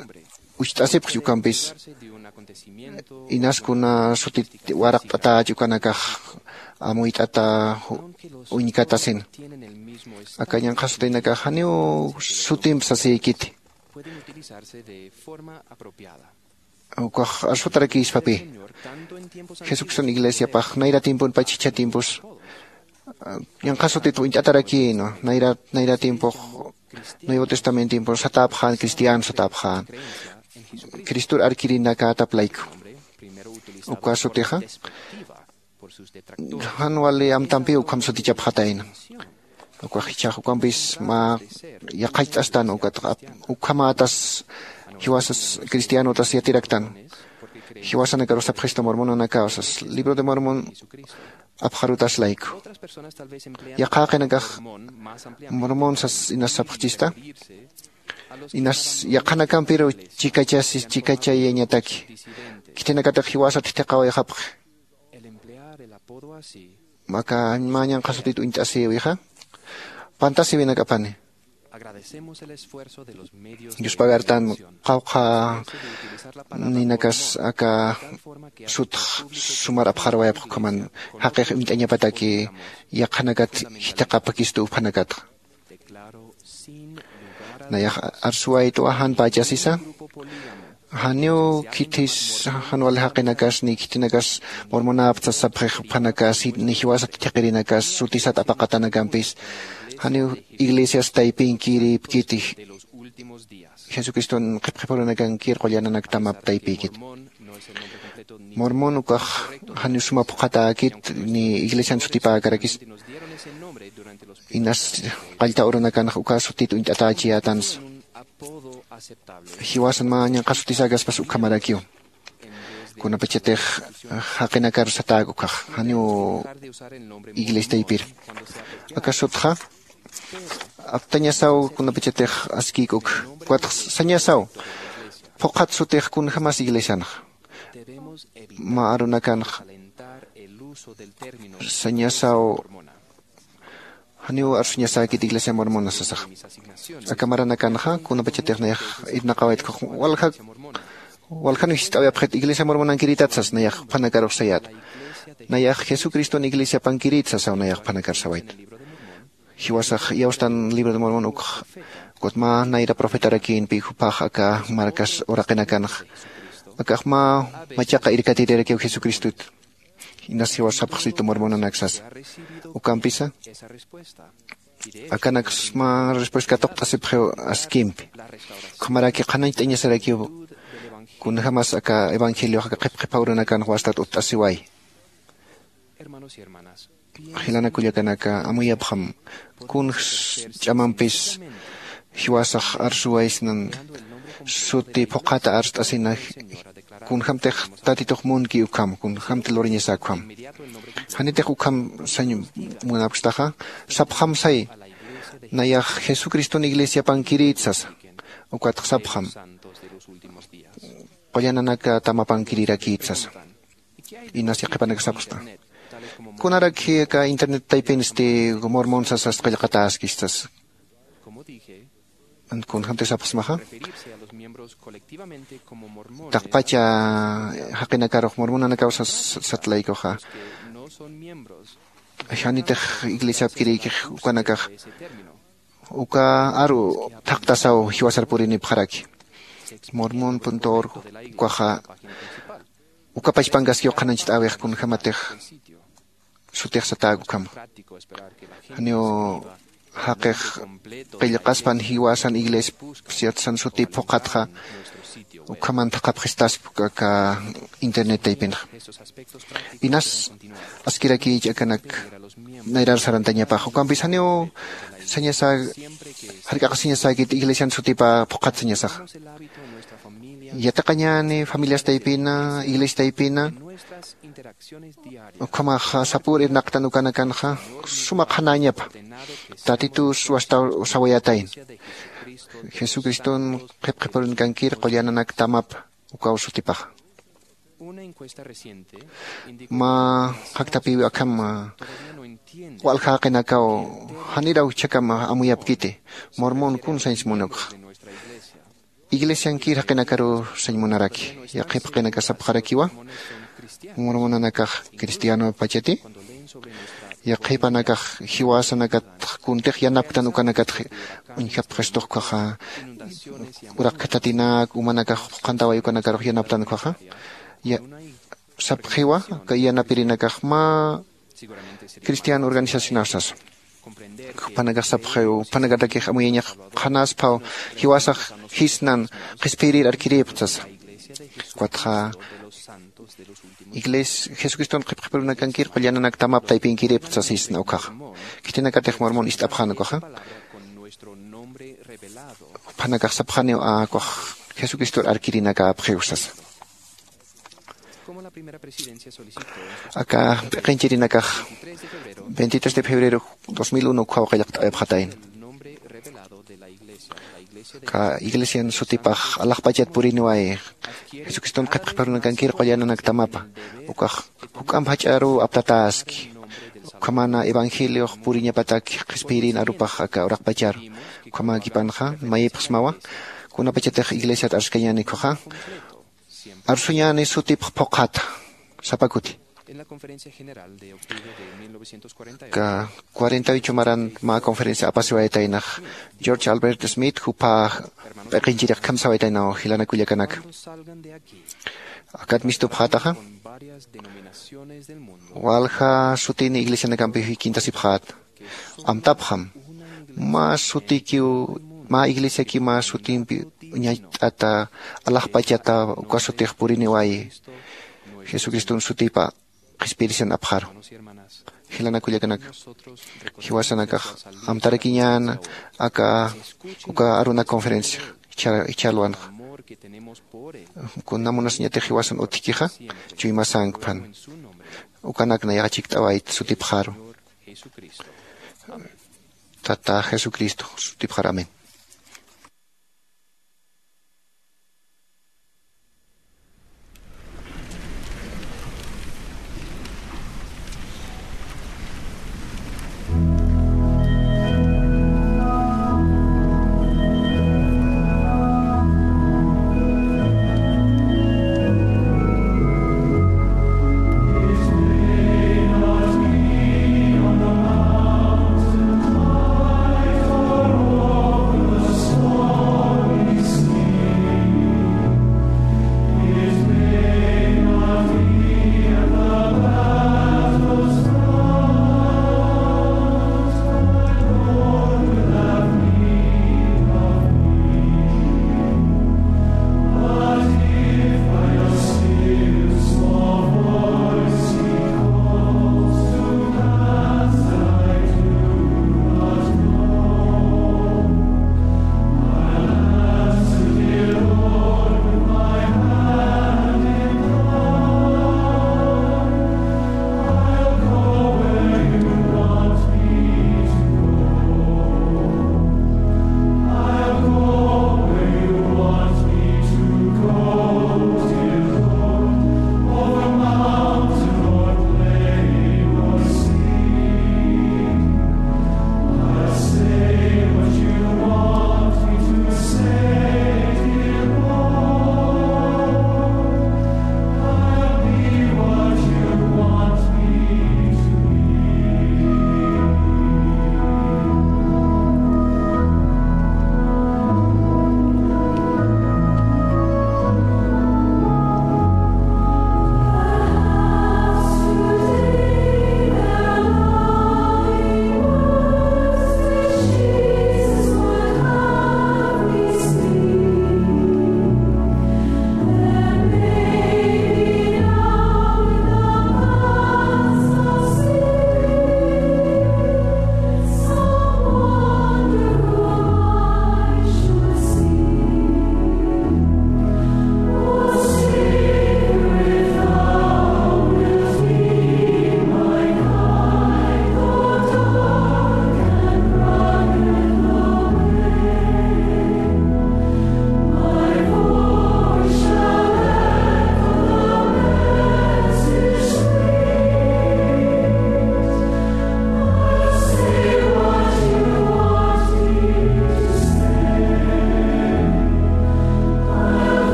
ucht'asipxchi ukampis inas kuna sutit waraqt'atächi ukanakax amuyt'ata uñkatasina. Aka ñanqha sutinakax janiw sutimp sasïkiti. Ukax arsutarakïspapï jesucriston iglesiapax nayra tiemponpach jichha tiempos ñanqha sutit uñt'atarakïnwa. Nayra tiempox nuevo testamento tiempo satäpxän cristiano satäpxän cristor arkirinakätap layku. Uka sutixa jan wali amtampiw ukham sutichapxatayna. Ukax jichhax ukampis mä yaqhacht'astan ukat ukhamätas jiwasas cristianotas yatiraktan. Jiwasanakarux sapxista mormonanakaw sas libro de mormon apxarutas layku. Yaqha jaqinakax mormon sas inas sapxchista inas yaqhanakampiru chikachayañataki. Khitinakatix jiwasat jithiqawayxapxi. Aka mä ñanqha sutit uñt'asïwixa pantasïwinakapani. Yuspagartan qawqha ninakas aka sutx sumar apxarwayapx ukhaman jaqix uñt'añapataki yaqhanakat jithiqapakistu uphanakatxa. Nayax arsuwaytwa jan pächasisa janiw khithis jan wali jaqinakas ni khithinakas mormonäptsa sapxix uphanakas ni jiwasat thiqirinakas sutisat apaqatanakampis janiw iglesias taypinkirïpkiti. Jesucriston qhipqhipurunakankir qullananaktamap taypïkiti. Mormon ukax janiw suma phuqhatäkit ni iglesian sutipäkarakis inas qallta urunakanx uka sutit uñt'atächiyätansa. Jiwasan mä ñanqha sutisäkaspas ukhamarakiw kunapachatix jaqinakar satäk ukhax janiw iglesiaypir. Aka sutxa aptañasaw kunapachatix askïk uk ukatx sañasaw phuqhat sutix kunjämas iglesianxa mä arunakanxa sañasaw janiw arsuñasäkit iglesia mormona sasaxa. Aka maranakanxa kunapachatix nayax irnaqawaytkux walja waljan jist'awayapxit iglesia mormonankiritat sas nayax phanakarux sayät. Nayax jesucriston iglesiapankirït sasaw nayax phanakar sawayt. Jiwasax iyawstan libro de mormon ukx ukat mä nayra profetarakïnpi jupax aka markas uraqinakanxa akax mä machaqa irkatirirakiw jesucristot. Inas jiwas sapxsitu mormonanak sasa ukampisa akanaks mä respuesta katuqt'asipxiw askimpi. Ukhamaraki qhanañcht'añasarakiw kunjämas aka evangeliox aka qhipqhipha urunakan wastat utt'asiway. Jilanak kullakanaka amuyapxam kunjs ch'amampis jiwasax arsuwaysnan suti phuqhata arst'asina kunjämtix tatitux munki ukham kunjämti lurañasa ukham. Janitix ukham sañ munapkstaxa sapxam say nayax jesucriston iglesiapankirït sasa. Ukatx sapxam qullananaka tamapankirirakït sasa. Inas yaqhipanak sapxsta kunaraki aka internet taypinsti mormon sasast qillqatäskista sasa. Kunjämtix sapxsmaxa, taqpacha jaqinakarux mormonanakaw satlaykuxa, janitix iglesiapkirïkix ukanakax uka aru thaqtasaw jiwasar purinipxaraki. Mormon punto org ukaxa uka pachpankaskiw qhanañcht'äwix kunjämatix sutix satäk ukhama. Janiw jaqix qillqaspan jiwasan iglesiat san sutip phuqhatxa ukhaman thaqhapxistaspa aka internet taypinxa. Inas askirakïchi akanak nayrar sarantañapax ukampis janiw sañasa jark'aqasiñasäkit iglesian sutipa phuqhat sañasaxa. Yatiqañäni familias taypina iglesia taypina ukhamaxa sapür irnaqtan ukanakanxa suma qhanäñapa. Tatitus wastaw sawayätayna jesucriston qhipqhipurunkankir qullananaktamapa ukaw sutipaxa. Mä jakthapiwi akham walja jaqinakaw janiraw jichhakam amuyapkiti. Mormon kun sañs munukxa iglesiankir jaqinakaruw sañ munaraki. Yaqhip jaqinaka sapxarakiwa mormonanakax cristianopachati. Yaqhipanakax jiwasanakat kuntix yanapktan ukanakatx uñjapxistux ukkhaxa uraq khatatinak umanakax qhantaway ukanakarux yanaptan ukkhaxa sapxiwa. Kay yanapirinakax mä cristiano organizacionaw sasa. Juphanakax sapxiw juphanakatakix amuyañax qhanasphaw jiwasax jisnan qhispiyrir arkirïpxta sasa. Ukatxa iglesia jesucriston qhipqhipirunakankir qullananaktamap taypinkirïpxta sasa jisna ukkhaxa. Khitinakatix mormon ist'apxän ukkhaxa juphanakax sapxaniw a ukkhax jesucristor arkirinakäpxiw sasa. Aka p'iqinchirinakax veintitrés de febrero dos mil uno ukkhaw qillqt'awayapxatayna. Aka iglesian sutipax alaxpachat puriniwayi jesucriston qhipqhipirunakankir qullananaktamapa ukax juk'amp jach'aruw aptatäski. Ukhamana evangeliox puriñapatak qhispiyirïn arupax aka uraqpacharu ukhamäkipanxa mayipxsmawa. Kunapachatix iglesiat arskañäni ukkhaxa arsuñäni sutipx phuqhata sapa kuti. Aka cuarenta y ocho maran mä conferencia apasiwayataynax george albert smith jupha p'iqinchirix khamsawayataynaw jilanakullakanaka. Akat mistupxätaxa walja sutini iglesianakampi jikintasipxäta. Amtapxam mä sutikiw mä iglesiakiw mä sutimpi uñacht'ata alaxpachata uka sutix puriniwayi jesucriston sutipa qhispiyirisan apxaru. Jilanakullakanaka jiwasanakax amtarakiñäna aka uka aruna conferencia jichhärwanxa. Kuna munasiñatix jiwasan utjkixa chuymasankpan ukanak nayaxa chikt'awayt sutipxaru. Tata jesucristo sutipxaru amén.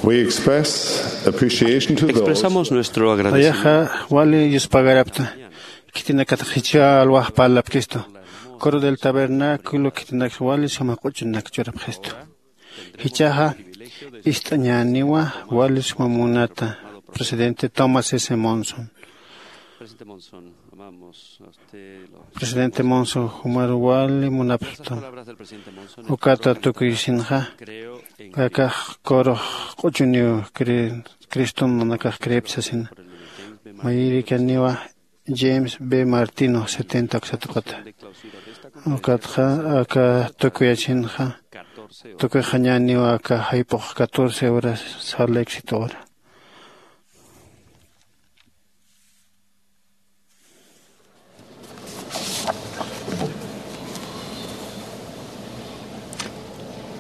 We express appreciation to those. Expresamos nuestro agradecimiento. Nayaxa wali yuspagarapta khitinakatix jichha alwax parlapkistu. Coro del Tabernáculo khitinakatix wali suma q'uchunak churapxistu. Jichhaxa ist'añäniwa wali suma munata presidente Thomas S. Monson. Presidente Monson, jumar wali munapxtam. Ukata tukuysinxa akax corux q'uchuniw criston nanakax creepta sasina. Mayirikaniwa James B. Martino, setenta uksa tuqata. Ukatxa aka tukuyachinxa tukuyxañäniwa aka jayp'ux catorce horas, sal éxito hora.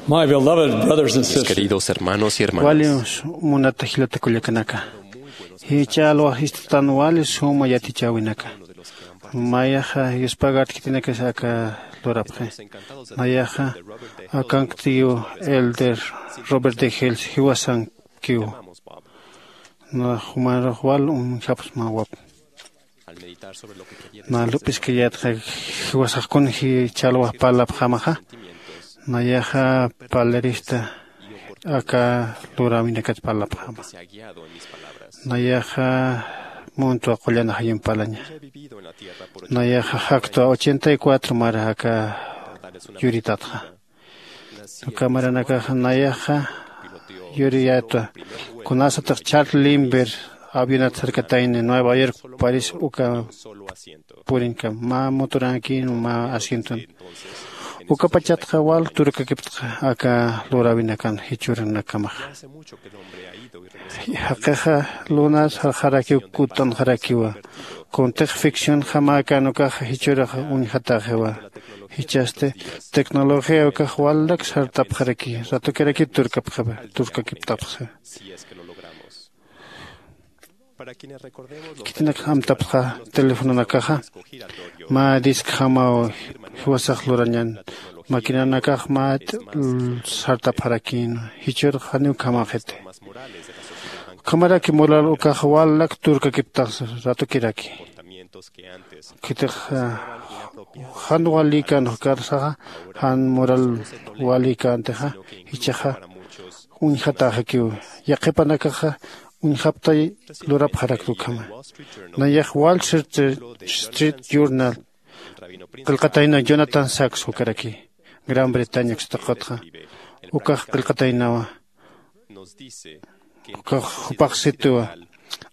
My beloved brothers and sisters. Mis queridos hermanos y hermanas. Wali munata jilata kullakanaka, jichha alwax ist'tan wali suma yatichäwinaka. Mayaxa yuspagarta khitinakas aka lurapxi. Nayaxa akanktiw elder Robert D. Hales jiwasankiw. Nä jumarux wal uñjapxsmawap. Nä lup'iskayätxa jiwasax kun jichha alwax parlapxämaxa. Nayaxa parlarista aka luräwinakat parlapxäma. Nayaxa muntwa qullan ajayun parlaña. Nayaxa jaktwa ochenta y cuatro mara aka yuritatxa. Uka maranakaxa nayaxa yuriyätwa kunasatix Charles Lindbergh avionat sarkatayna Nueva York, París uka purinkam mä motorankïn mä asienton. Ukapachatxa wal turkakiptxa aka luräwinakan jichhürunakamaxa. Jaqixa lunar sarxarakiw kutt'anxarakiwa. Kuntix ficcionjamakan ukaxa jichhürux uñjatäxiwa. Jichhasti tecnología ukax walnak sartapxaraki, ratukirakiw turkapxiwa, turkakiptapxiwa. Khitinakxa amtapxta telefononakaxa mä discjamaw jiwasax lurañan. Maquinanakax mä sartapxarakïn, jichhürux janiw ukhamaxiti. Ukhamaraki mural ukax walnak turkakiptax ratukiraki. Khitix jan walïkän ukarsaxa jan mural walïkäntixa jichhaxa uñjatäxakiw. Yaqhipanakaxa uñjaptay lurapxarakta ukhama. Nayax Wall Street Journal qillqatayna Jonathan Sacks ukaraki, Gran Bretaña uksa tuqatxa. Ukax qillqataynawa. Ukax jupax situwa.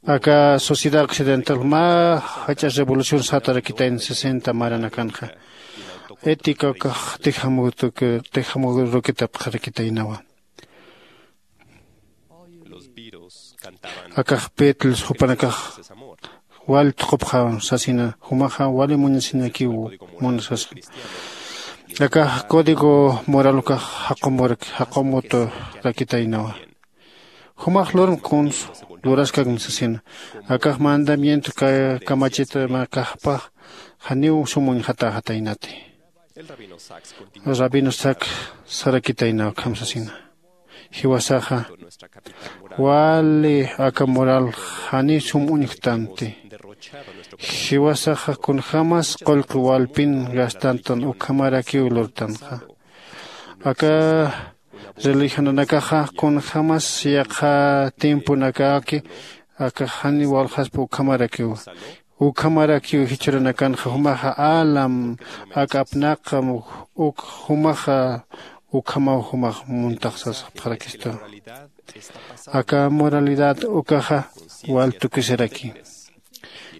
Aka sociedad occidental mä jach'a revolución satarakitayna sesenta maranakanxa. Ética ukax tejamurukitapxarakitaynawa. Akax Beatles jupanakax wal thuqupxaw sasina, jumaxa wali munasinakiw munasasa. Akax código moral ukax jaqumuraki, jaqumuturakitaynawa. Jumax lurm kuns luraskakm sasina. Akax mandamiento kamachitamakajpax janiw sum uñjatäxataynati. Rabino Sac sarakitaynaw ukham sasina. Jiwasaxa wali aka mural janiw sum uñjtanti. Jiwasaxa kunjämas qullqi walpin gastantan ukhamarakiw lurtanxa. Aka religionanakaxa kunjämas yaqha tiemponakaki aka jani walxaspa ukhamarakiwa. Ukhamarakiw jichhüranakanxa jumaxa alam aka apnaqam uk jumaxa ukhamaw jumax muntaxsasxapxarakistu. Aka moralidad ukaxa wal tukusiraki.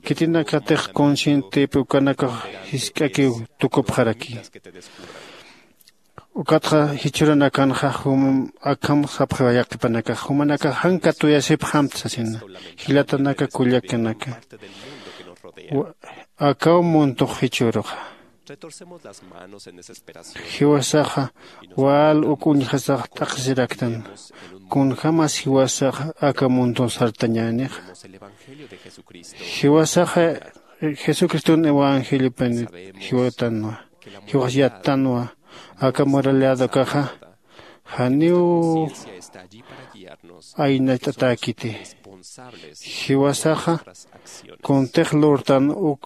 Khitinakatix conscientep ukanakax jisk'akiw tukupxaraki. Ukatxa jichhüranakanxa jum akham sapxiwa yaqhipanakax jumanakax jan katuyasipxamta sasina. Jilatanaka kullakanaka, akaw muntux jichhüruxa jiwasaxa wal uk uñjasax t'aqhisiraktan. Kunjämas jiwasaxa aka muntun sartañänixa. Jiwasaxa jesucriston evangeliopan jiwatanwa, jiwas yattanwa. Aka moralidad ukaxa Janiw aynacht'atäkiti. Jiwasaxa kuntix lurtan uk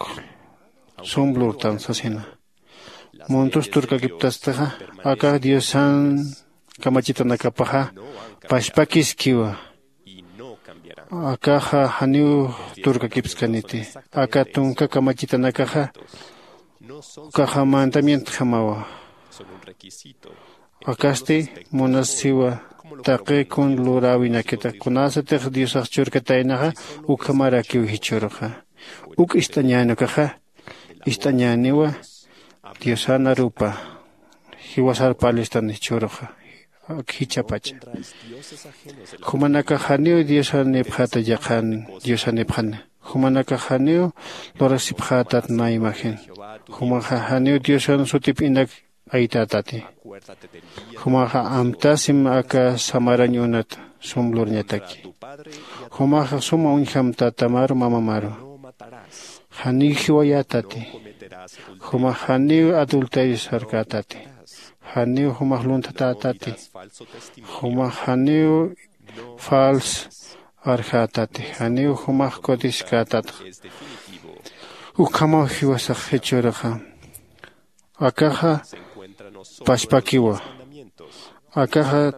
sum lurtan sasina. Muntus turkakiptastixa, akax diosan kamachitanakapaxa pachpakiskiwa. Akaxa janiw turkakipskaniti. Aka tunka kamachitanakaxa ukaxa mandamientjamawa. Akasti munasiwa taqi kun luräwinakita kunasatix diosax churkataynaxa. Ukhamarakiw jichhüruxa uk ist'añäni ukaxa ist'añäniwa. Diosan arupa jiwasar parlistan jichhüruxa ak jichhapacha. Jumanakax janiw diosanipxäta yaqhan diosanipxana. Jumanakax janiw lurasipxätat mä imagen. Jumaxa janiw diosan sutip inak aytätati. Jumaxa amtasim aka samarañ unat sum lurñataki. Jumaxa suma uñjamtätamaru mamamaru. Janiw jiwayätati. Jumax janiw adulterio sarkätati. Janiw jumax lunthatätati. Jumax janiw fals arjätati. Janiw jumax codiskätatxa. Ukhamaw jiwasax jichhüruxa. Akaxa pachpakiwa. Akaxa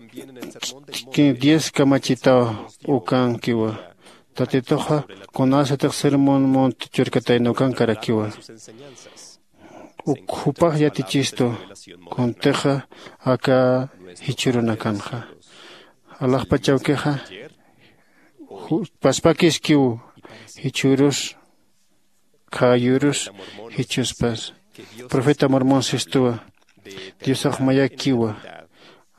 diez kamachitaw ukankiwa. Tatituxa kunasatix sermon mont churkatayna ukankarakiwa. Uk jupax yatichistu kuntixa aka jichhürunakanxa alaxpachawkixa paspakiskiw. Jichhürus khäyürus jichhüspas profeta mormon sistuwa. Diosax mayakiwa.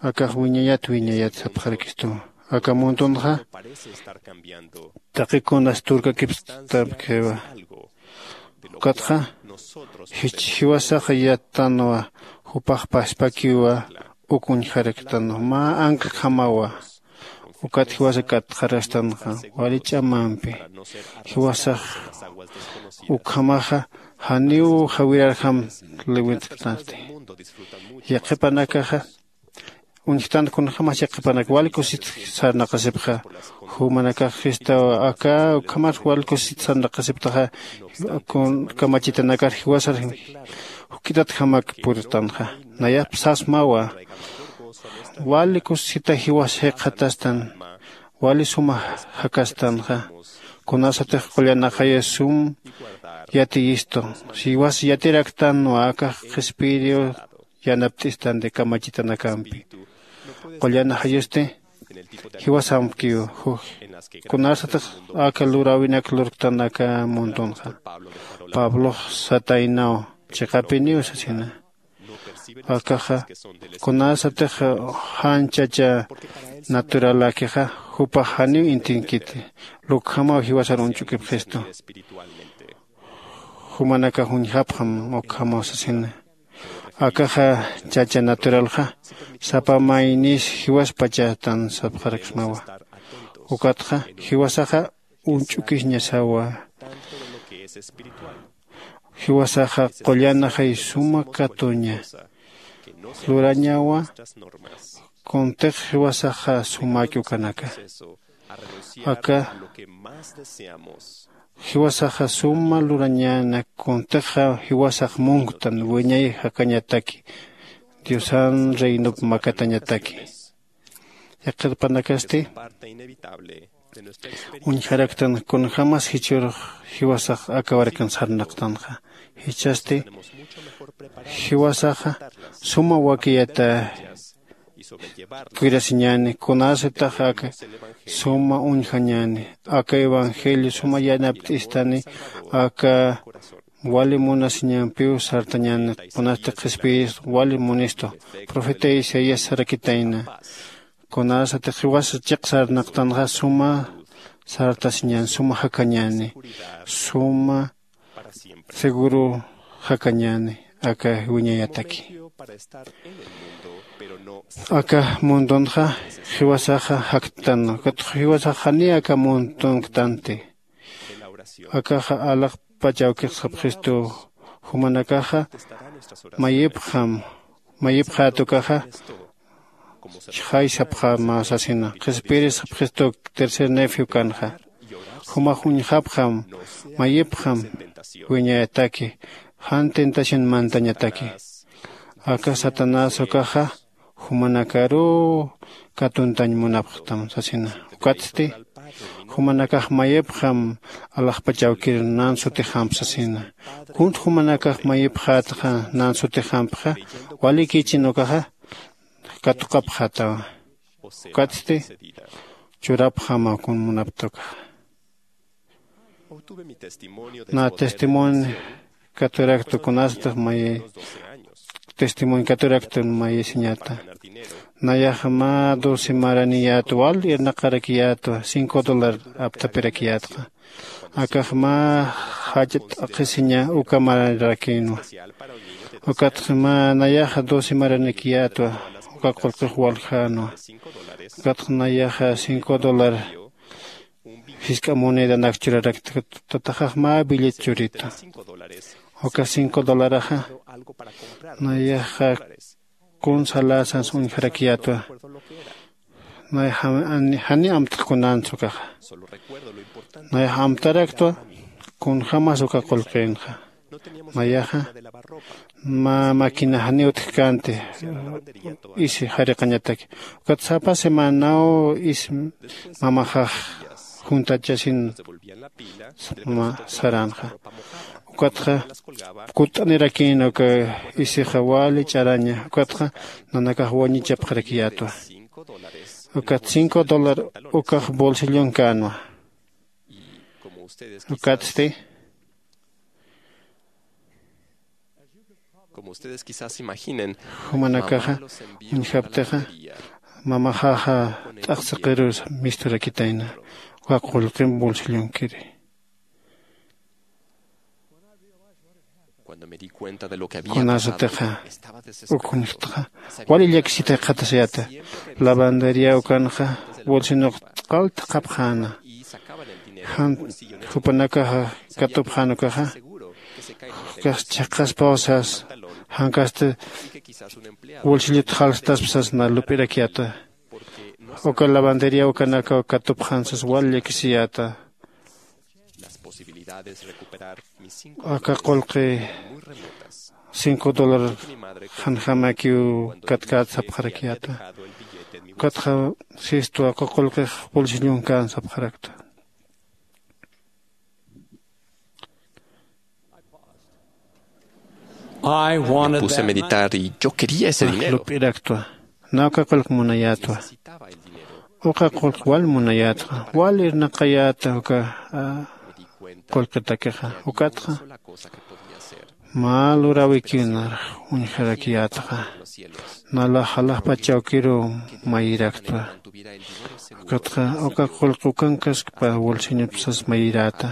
Akax wiñayat wiñayat sapxarakistuwa. Aka muntunxa taqikunas turkakipstapkiwa. Ukatxa jiwasaxa yattanwa. Jupax paspakiwa. Uk uñjaraktanwa mä anclajamawa. Ukat jiwasa katxarastanxa wali ch'amampi. Jiwasax ukhamaxa janiw jawirarjam liwintktanti. Yaqhipanakaxa uñjtant kunjämas yaqhipanak wali kusit sarnaqasipxa. Jumanakax jistaw aka ukhamas wali kusit sarnaqasiptaxa. Kamachitanakar jiwasar juk'itatjamak puritanxa. Nayap sasmawa. Wali kusita jiwas jikxatastan. Wali suma jakastanxa. Kunasatix qullan ajayus sum yatiyistu. Jiwas yatiraktanwa akax qhispiyiriw yanapt'istanti kamachitanakampi. Qullan ajayusti jiwasamkiw. Kunasatix aka luräwinak lurktan aka muntunxa. Pablox sataynaw chiqapiniw sasina. Akaxa kunasatix jan chacha naturaläkixa jupax janiw intinkiti. Lukjamaw jiwasar uñch'ukipxistu. Jumanakax uñjapxam ukhamaw sasina. Akaxa chacha naturalxa sapa maynis jiwaspachatan sapxaraksmawa. Ukatxa jiwasaxa uñch'ukisñasawa. Jiwasaxa qullan ajay suma katuña lurañawa. Kuntix jiwasaxa sumäki ukanaka aka jiwasaxa suma lurañäna. Kuntixa jiwasax munktan wiñay jakañataki diosan reinop makatañataki. Yaqhipanakasti uñjaraktan kunjämas jichhürux jiwasax akawarakan sarnaqtanxa. Jichhasti jiwasaxa suma wakiyata cuidasiñäni kunasatix aka suma uñjañäni aka evangelio suma yanapt'istani. Aka wali munasiñampiw sartañäni. Kunasti qhispiyirist wali munistu profeta isaías sarakitayna. Kunasatix jiwas chiq sarnaqtanxa suma sartasiñäni suma jakañäni suma seguro jakañäni aka wiñayataki. Aka mundunxa jiwasaxa jaktan ukatxa jiwasax janiy aka muntunktanti. Akaxa alaxpach awkix sapxistu. Jumanakaxa mayipxam mayipxät ukaxa Jaysapxama sasina qhispiris phistuk tercer nefe ukanxa. Jumax uñjapxam, mayipxam wiñayataki jan tentación mantañataki. Aka satanás ukaxa jumanakaruw katuntañ munapxtam sasina. Ukatsti jumanakax mayipxam alaxpach awkir nan sutixamp sasina. Kunt jumanakax mayipxätxa nan sutixampxa, walikichin ukaxa katuqapxätawa. Ukatsti churapxama kun munapta ukaxa. Na testimonio katuraktu kunasatix mayi testimonio katuraktu mayisiñata. Nayaxa mä doce maraniyätwa wal irnaqarakiyätwa cinco dólar aptapirakiyätxa. Akax mä jach'a t'aqhisiña uka maranirakïnwa. Ukatxa mä nayaxa doce maranikiyätwa uka qullqix waljänwa. Ukatxa nayaxa cinco dólar jisk'a monedanak churarakta. Tataxax mä billet churita. Uka cinco dolaraxa nayaxa kun salasans uñjarakiyätwa. Nayaxa jani amtxkunans ukaxa. Nayaxa amtaraktwa kunjämas uka qullqinxa. Nayaxa mä maquina janiw utjkänti isi jariqañataki. Ukat sapa semanaw isi mamaxax juntachasin mä saränxa. Ukatxa kutt'anirakïna uka isixa wali ch'araña. Ukatxa nanakax wañichapxarakiyätwa. Ukat cinco dólar ukax bolsillonkänwa. Ukatsti como ustedes quizás se imaginen, jumanakaxa uñjaptixa mamaxaxa t'aqsiqirus misturakitayna uka qullqim bolsillonkiri. Kunasatixa uk uñjtxa wali llakisita jikxatasiyäta. Lavandería ukanxa bolsillox q'al thaqhapxäna. Jan jupanakaxa katupxän ukaxa ukax chiqaspaw sas jankasti bolsillut jalstaspa sas na lup'irakiyäta. Uka lavandería ukanakaw katupxän sas wal llakisiyäta. Aka qullqi cinco dólar janjamakiw katkät sapxarakiyäta. Ukatxa sistwa aka qullqix bolsillonkän sapxarakta. Me puse a meditar y yo quería ese dinero. Lup'iraktwa. Naw uka qullq munayätwa. Uka qullq wal munayätxa wal irnaqayäta uka qullqitakixa. Ukatxa mä luräwikiw nar uñjarakiyätxa. Nalax alaxpach awkiruw mayiraktwa. Ukatxa uka qullq ukankaskpa bolsillopi sas mayiräta.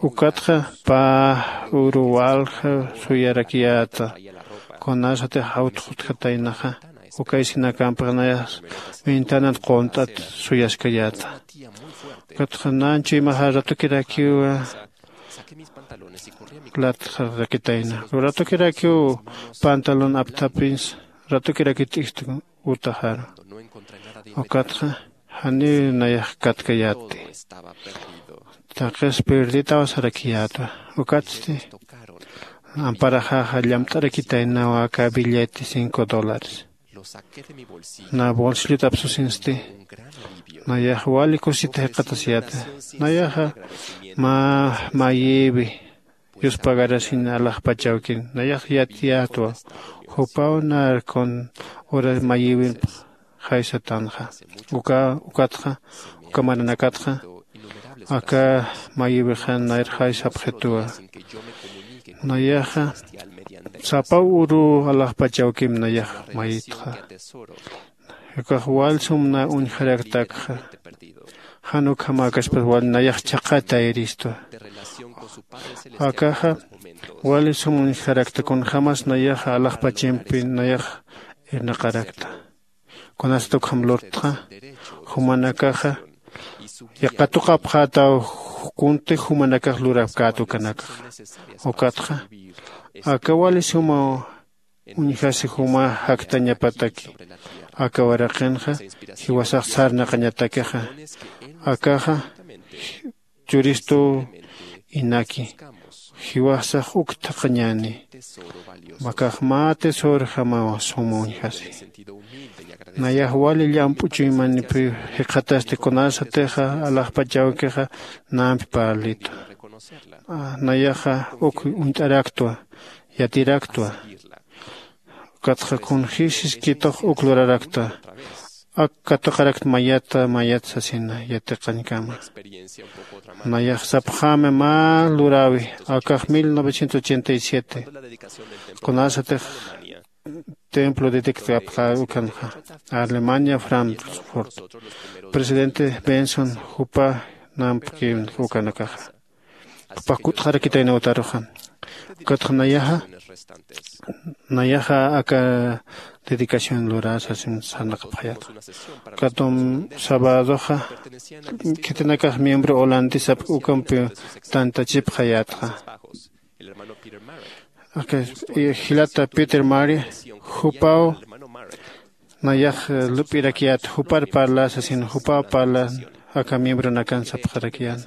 Ukatxa pä uru walja suyarakiyäta. Kunasatix awtx utjataynaxa uka isinakampix nayax ventanat qunt'at suyaskayäta. Ukatxa nan chuymaxa ratukirakiw latxarakitayna. Ratukirakiw pantalón apthapins ratukirakiw t'ijt utaxaru. Ukatxa janiw nayax katkayätti. Taqis pirditaw sarakiyätwa. Ukatsti amparaxaxa llamt'arakitaynawa aka billete cinco dólares. Na bolsillut apsusinsti nayax wali kusita jikxatasiyäta. Nayaxa mä mayïwi yuspagarasiñ alaxpach awkin nayax yatiyätwa. Jupaw nar kun ura mayïwimp jaysatanxa. Uka ukatxa uka maranakatxa aka mayïwixan nayr jaysapxituwa. Nayaxa sapa uru alaxpach awkim nayax mayïtxa. Ukax wal sum na uñjaraktakxa. Jan ukhamäkaspas wal nayax chhaqha tayiristwa. Akaxa wali sum uñjarakta kunjämas nayaxa alaxpachimpi nayax irnaqarakta. Kunasat ukham lurtxa jumanakaxa yaqatuqapxätaw. Kunti jumanakax lurapkät ukanakaxa. Ukatxa aka wali sumaw uñjasi juma jaktañapataki. Aka waraqinxa jiwasax sarnaqañatakixa. Akaxa churistuw inaki jiwasax uk thaqhañäni. Makax mä tesorojamaw suma uñjasi. Nayax wali llamp'u chuymanipiw jikxatasti kunasatixa alaxpach awkixa nampi parlitwa. Nayaxa uk uñt'araktwa, yatiraktwa. Ukatxa kunjïsiskitux uk lurarakta. Ak katuqarakt mayata mayat sasina yatiqañkama. Nayax sapxämi mä luräwi. Akax mil novecientos ochenta y siete kunasatix templo dedictapxä ukanxa, alemania frankfurt. Presidente benson jupa nampki ukanakaxa. Jupax kutxarakitayna utaruxa. Ukatxa nayaxa nayaxa aka dedicación lurasa sarnaqapxayata. Ukatum sabadoxa khitinakax miembro holandesap ukampi tantachipxayatxa. Aka jilata peter mari jupaw nayax lup'irakiyät jupar parla sasin jupaw parlan. Aka miembronakan sapxarakiyäna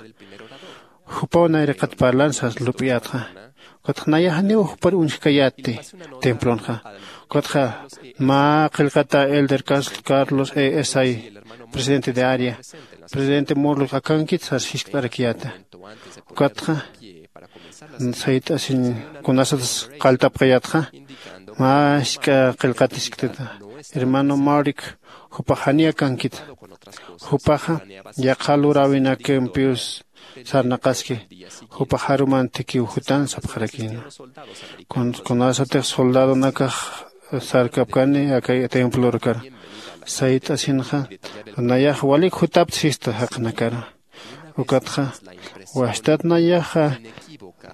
jupaw nayraqat parlan sas lup'iyätxa. Ukatxa nayax janiw jupar uñjkayätti templonxa. Ukatxa mä qillqata elder carlos e esay presidente de área presidente morlux akankit sas jiskt'arakiyäta. Ukatxa sayt'asiñ kunasatas qalltapxayätxa mä jisk'a qillqat jiskt'ita. Hermano maurik jupax janiy akankita. Jupaxa yaqha luräwinakimpiws sarnaqaski. Jupax jarumantikiw jutan sapxarakïnwa. Kunasatix soldadonakax sarkapkani aka templorkar sayt'asinxa nayax walik jutapta sista jaqinakar. Ukatxa wastat nayaxa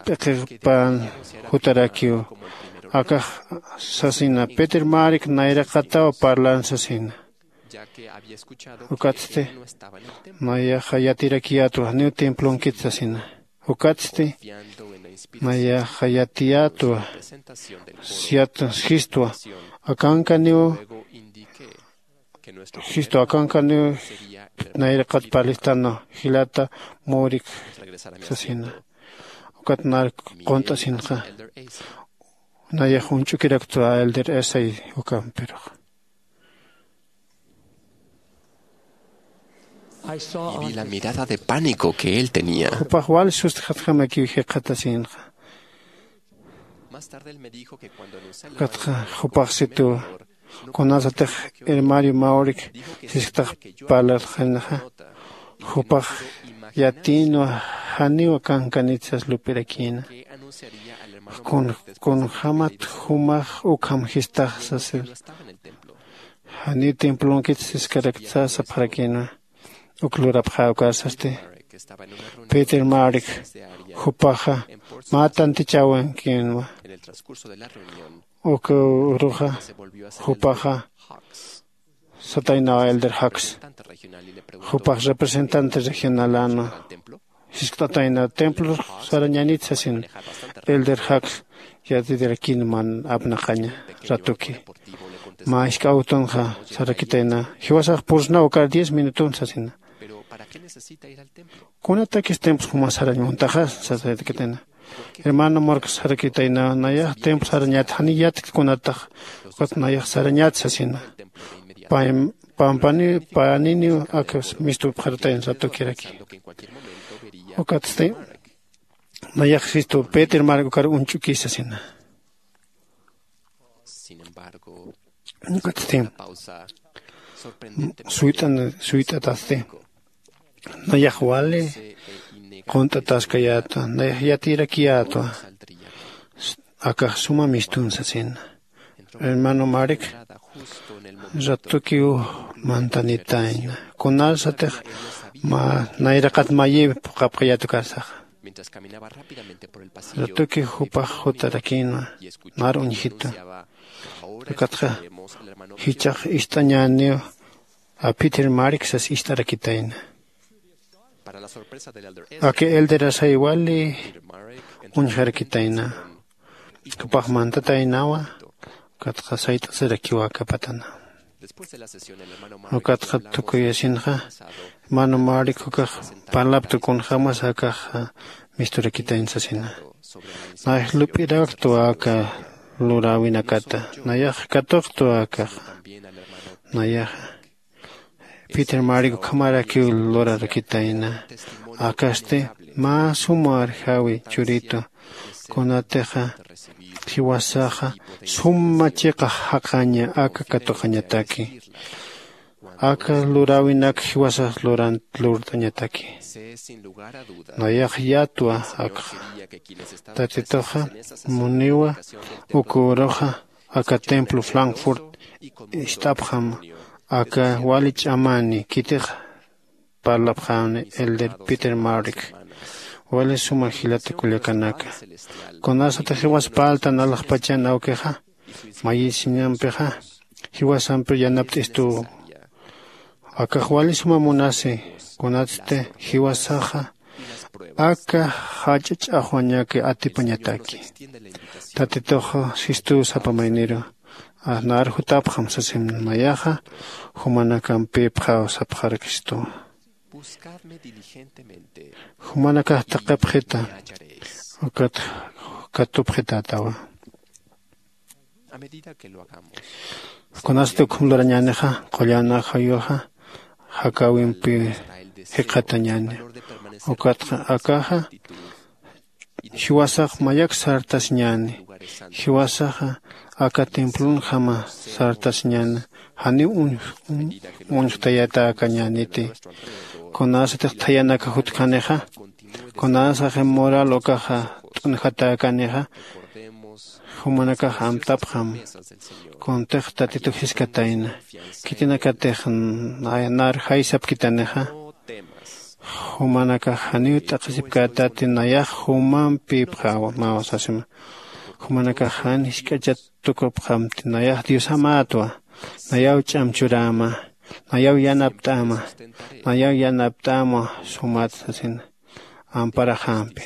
p'iqipän jutarakiw. Akax sasina peter marik nayraqataw parlan sasina. Ukatsti nayaxa yatirakiyätwa janiw templonkit sasina. Ukatsti nayaxa yatiyätwa. Siyatun jistwa akankaniw. Jistwa akankaniw nayraqat parlistana jilata murik sasina. Ukat nar qunt'asinxa nayax uñch'ukiraktwa elder esay ukampirux. Y vi la mirada de pánico que él tenía. Jupax wal sustjatjamakiw jikxatasinxa. Ukatxa jupax situwa kunasatix hermario maurik sisktax parlarxinxa jupax yatïnwa. Janiw akankanit sas lup'irakïna. Kunjämat jumax ukham jistax sasir. Janiw templonkit siskarakta sapxarakïnwa. Uk lurapxä ukar sasti peter marik jupaxa mä tantichäwinkïnwa. Uk uruxa jupaxa sataynaw elder jax jupax representante regionalänwa. Jiskt'atayna templo sarañänit sasin elder jax yatitirakin man apnaqaña ratuki mä jisk'a awtonxa sarakitayna. Jiwasax pursnaw ukar diez minutun sasina. Kunatakis templos juma sarañ muntaxa sasarakitayna. Hermano marcos sarakitayna nayax templo sarañät janiy yatkt kunatax. Ukat nayax sarañät sasina. Pampani paniniw aka mistupxaratayn ratukiraki. Ukatsti nayax sistu peter mark ukar uñch'ukisa sina. Ukatsti suyt'an suyt'atasti nayax wali qunt'ataskayätwa nayax yatirakiyätwa. Akax suma mistunsa sina hermano marik ratukiw mantanitayna kunasatix mä nayraqat mayï phuqhapxayät ukarsaxa. Ratuki jupax jutarakïnwa nar uñjitwa. Ukatxa jichhax ist'añäniw aphitir marik sas ist'arakitayna. Aki elderasay wali uñjarakitayna. Jupax mantataynawa Ukatxa sayt'asirakiwa akapatana. Ukatxa tukuyasinxa mano marikukax parlaptu kunjämas akaxa misturakitañ sasina. Nayax lup'iraktwa aka luräwinakata. Nayax katuqtwa akaxa. Nayaxa peter mariku ukhamarakiw lurarakitayna. Akasti mä suma arjawi churitu. Kunatixa jiwasaxa suma chiqa jaqaña aka katuqañataki. Aka luräwinak jiwasax lurant lurt'añataki. Nayax yatwa akxa. Tatituxa muniwa uka uruxa aka templo frankfurt ist'apxam. Aka wali ch'amani khitix parlapxäni elder peter marrick. Wali suma jilata kullakanaka, kunasatix jiwas parltan alaxpachan awkixa mayisiñampixa jiwasampir yanapt'istuw. Akax wali suma munasi kunatsti jiwasaxa aka jach'a ch'axwañaki atipañataki. Tatitux sistuw sapa mayniru, nar jutapxam sasim. Nayaxa jumanakampïpxaw sapxarakistuwa. Jumanakax taqipxita ukat katupxitätawa. Kunasti ukham lurañänixa qullan ajayuxa jakäwimpi jikxatañäni. Ukatxa akaxa jiwasax mayak sartasiñäni. Jiwasaxa aka templonjama sartasiñäni. Janiw uñjtayatäkañäniti. Kunasatix thayanaka jutkanixa, kunasaxi mural ukaxa t'unjatäkanixa jumanakax amtapxam. Kuntix tatitu jiskatayna khitinakatix nar jaysapkitanixa. Jumanakax janiw t'aqhisipkätati nayax jumampïpxämaw sasima. Jumanakax jan jisk'achat tukupxamti nayax diosamätwa. Nayaw ch'am churäma, nayaw yanapt'äma, nayaw yanapt'äma sumat sasina amparaxampi.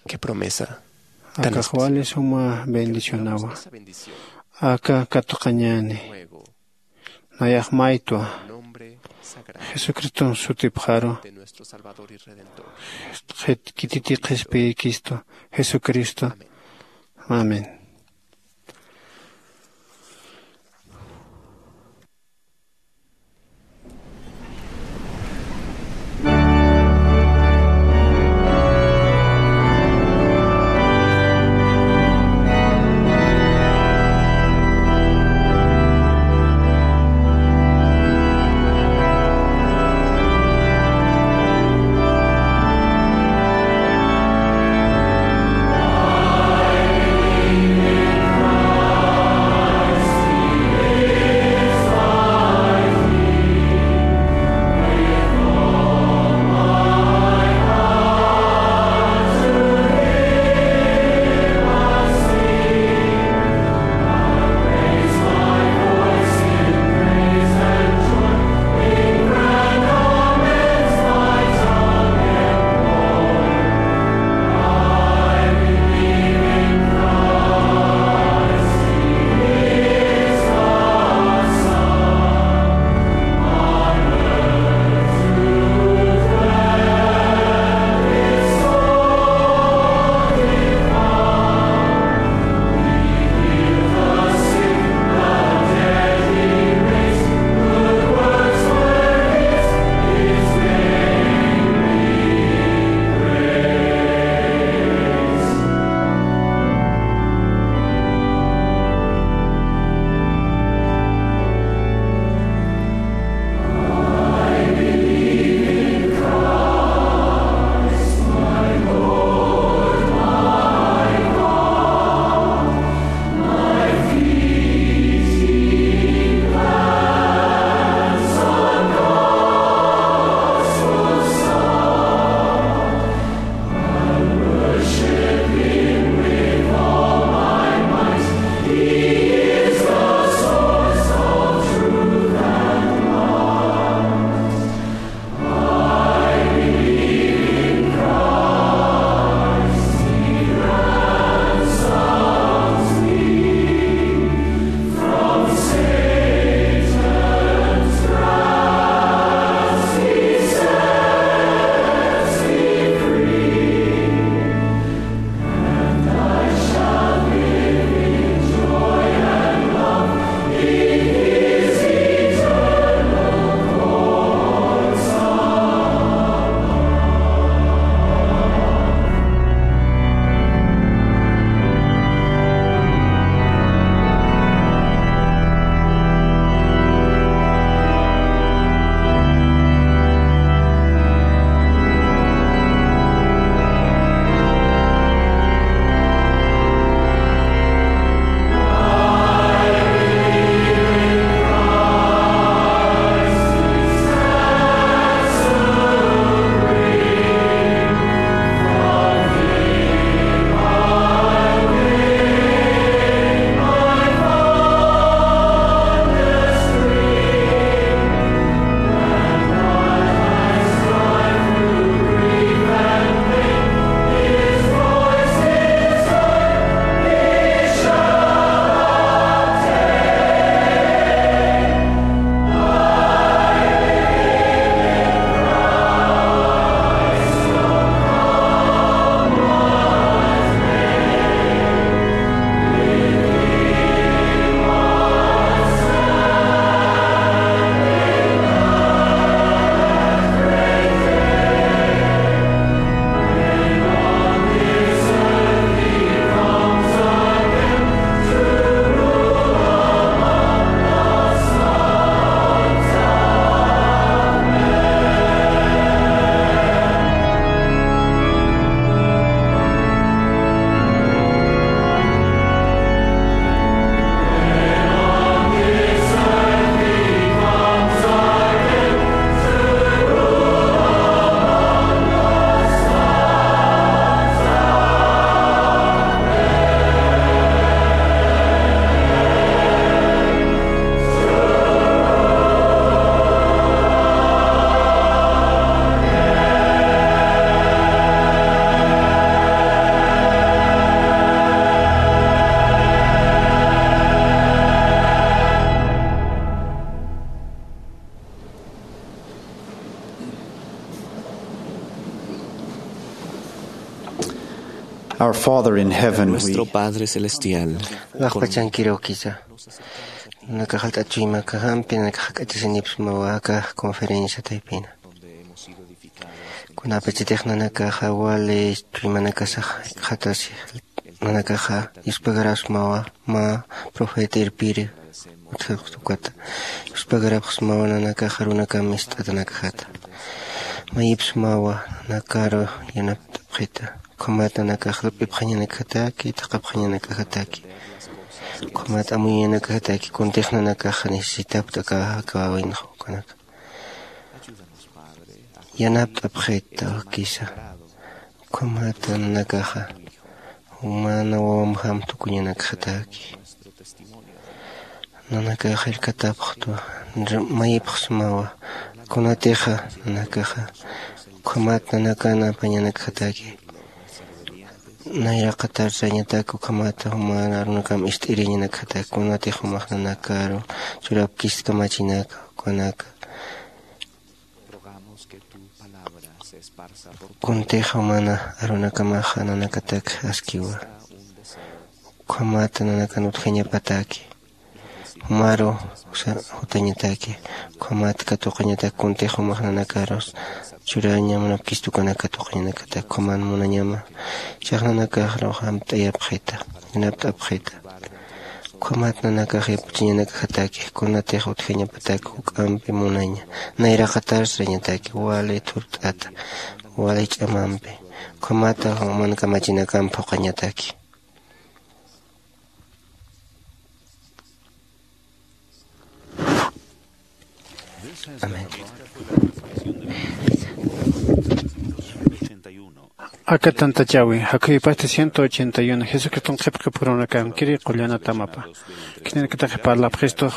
Qué promesa. Akax wali suma bendicionawa. Aka katuqañäni nayax maytwa jesucriston sutipxaru. Kititi qhispiykistu jesucristo. Amén. Our Father in heaven, we Nuestro Padre Celestial, laxpachankirukisa. Nakaxalt'at chuymakaxampi nakaxak'achisinipsmawa aka conferencia taypina. Kunapachitix nanakaxa wali chuymanakasax jikxatasi nanakaxa yuspagarapsmawa mä profeta irpiri utjastukata. Yuspagarapxsmawa nanakaxa runakam ist'atanakajata. Mayipsmawa nanakaru yanapt'apxita. Ukhamat nanakax lup'ipxañanakajataki, thaqhapxañanakajataki. Ukhamat amuyañanakajataki, kuntix nanakaxa necesitapta aka jakawawaynxa ukanaka. Yanapt'apxita wakisa. Ukhamata nanakaxa jumana wawamjam tukuñanakajataki. Nanakax jallkatapxtwa, mayipxsmawa. Kunatixa nanakaxa ukhamat nanakan apañanakjataki. Nayraqatar sañatak ukhamata jumana arunakam ist'iriñanakjataki. Kunatix jumax nanakaru churapkist kamachinaka ukanaka. Kuntix jumana arunakamaxa nanakatak askiwa. Ukhamata nanakan utjañapataki. Jumaru jutañataki. Ukhamat katuqañatak kuntix jumax nanakarus churaña munapkist ukanaka katuqañanakatak ukhaman munañama. Chax nanakaxrux amt'ayapxita, yanapt'apxita. Ukhamat nanakax yapuchiñanakajataki, kunatix utjañapatak juk'ampi munaña. Nayraqatar sañataki, wali thurt'ata, wali ch'amampi. Ukhamata juman kamachinakamp phuqañataki. Amén. Aka tantachawi, jakhuypasti ciento ochenta y uno, Jesucriston qhipqipurunakankiri qullanatamapa. Khitinakatax parlapxistu,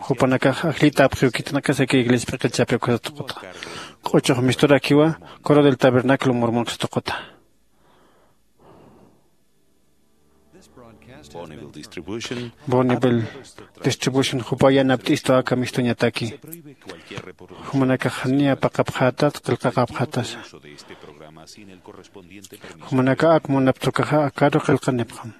jupanakax ajllita apxiw khitinakasaki iglesia p'iqichapi ukasatuquta. Q'uchux misturakiwa, Coro del Tabernáculo Mormon satuquta. Bonneville Distribution. Bonneville Distribution jupa yanapt'istu aka mistuñataki. Jumanakax niya paqapxätat, qillqaqapxätasa. Jumanaka ak munaptukaxa akaru qillqanipxam.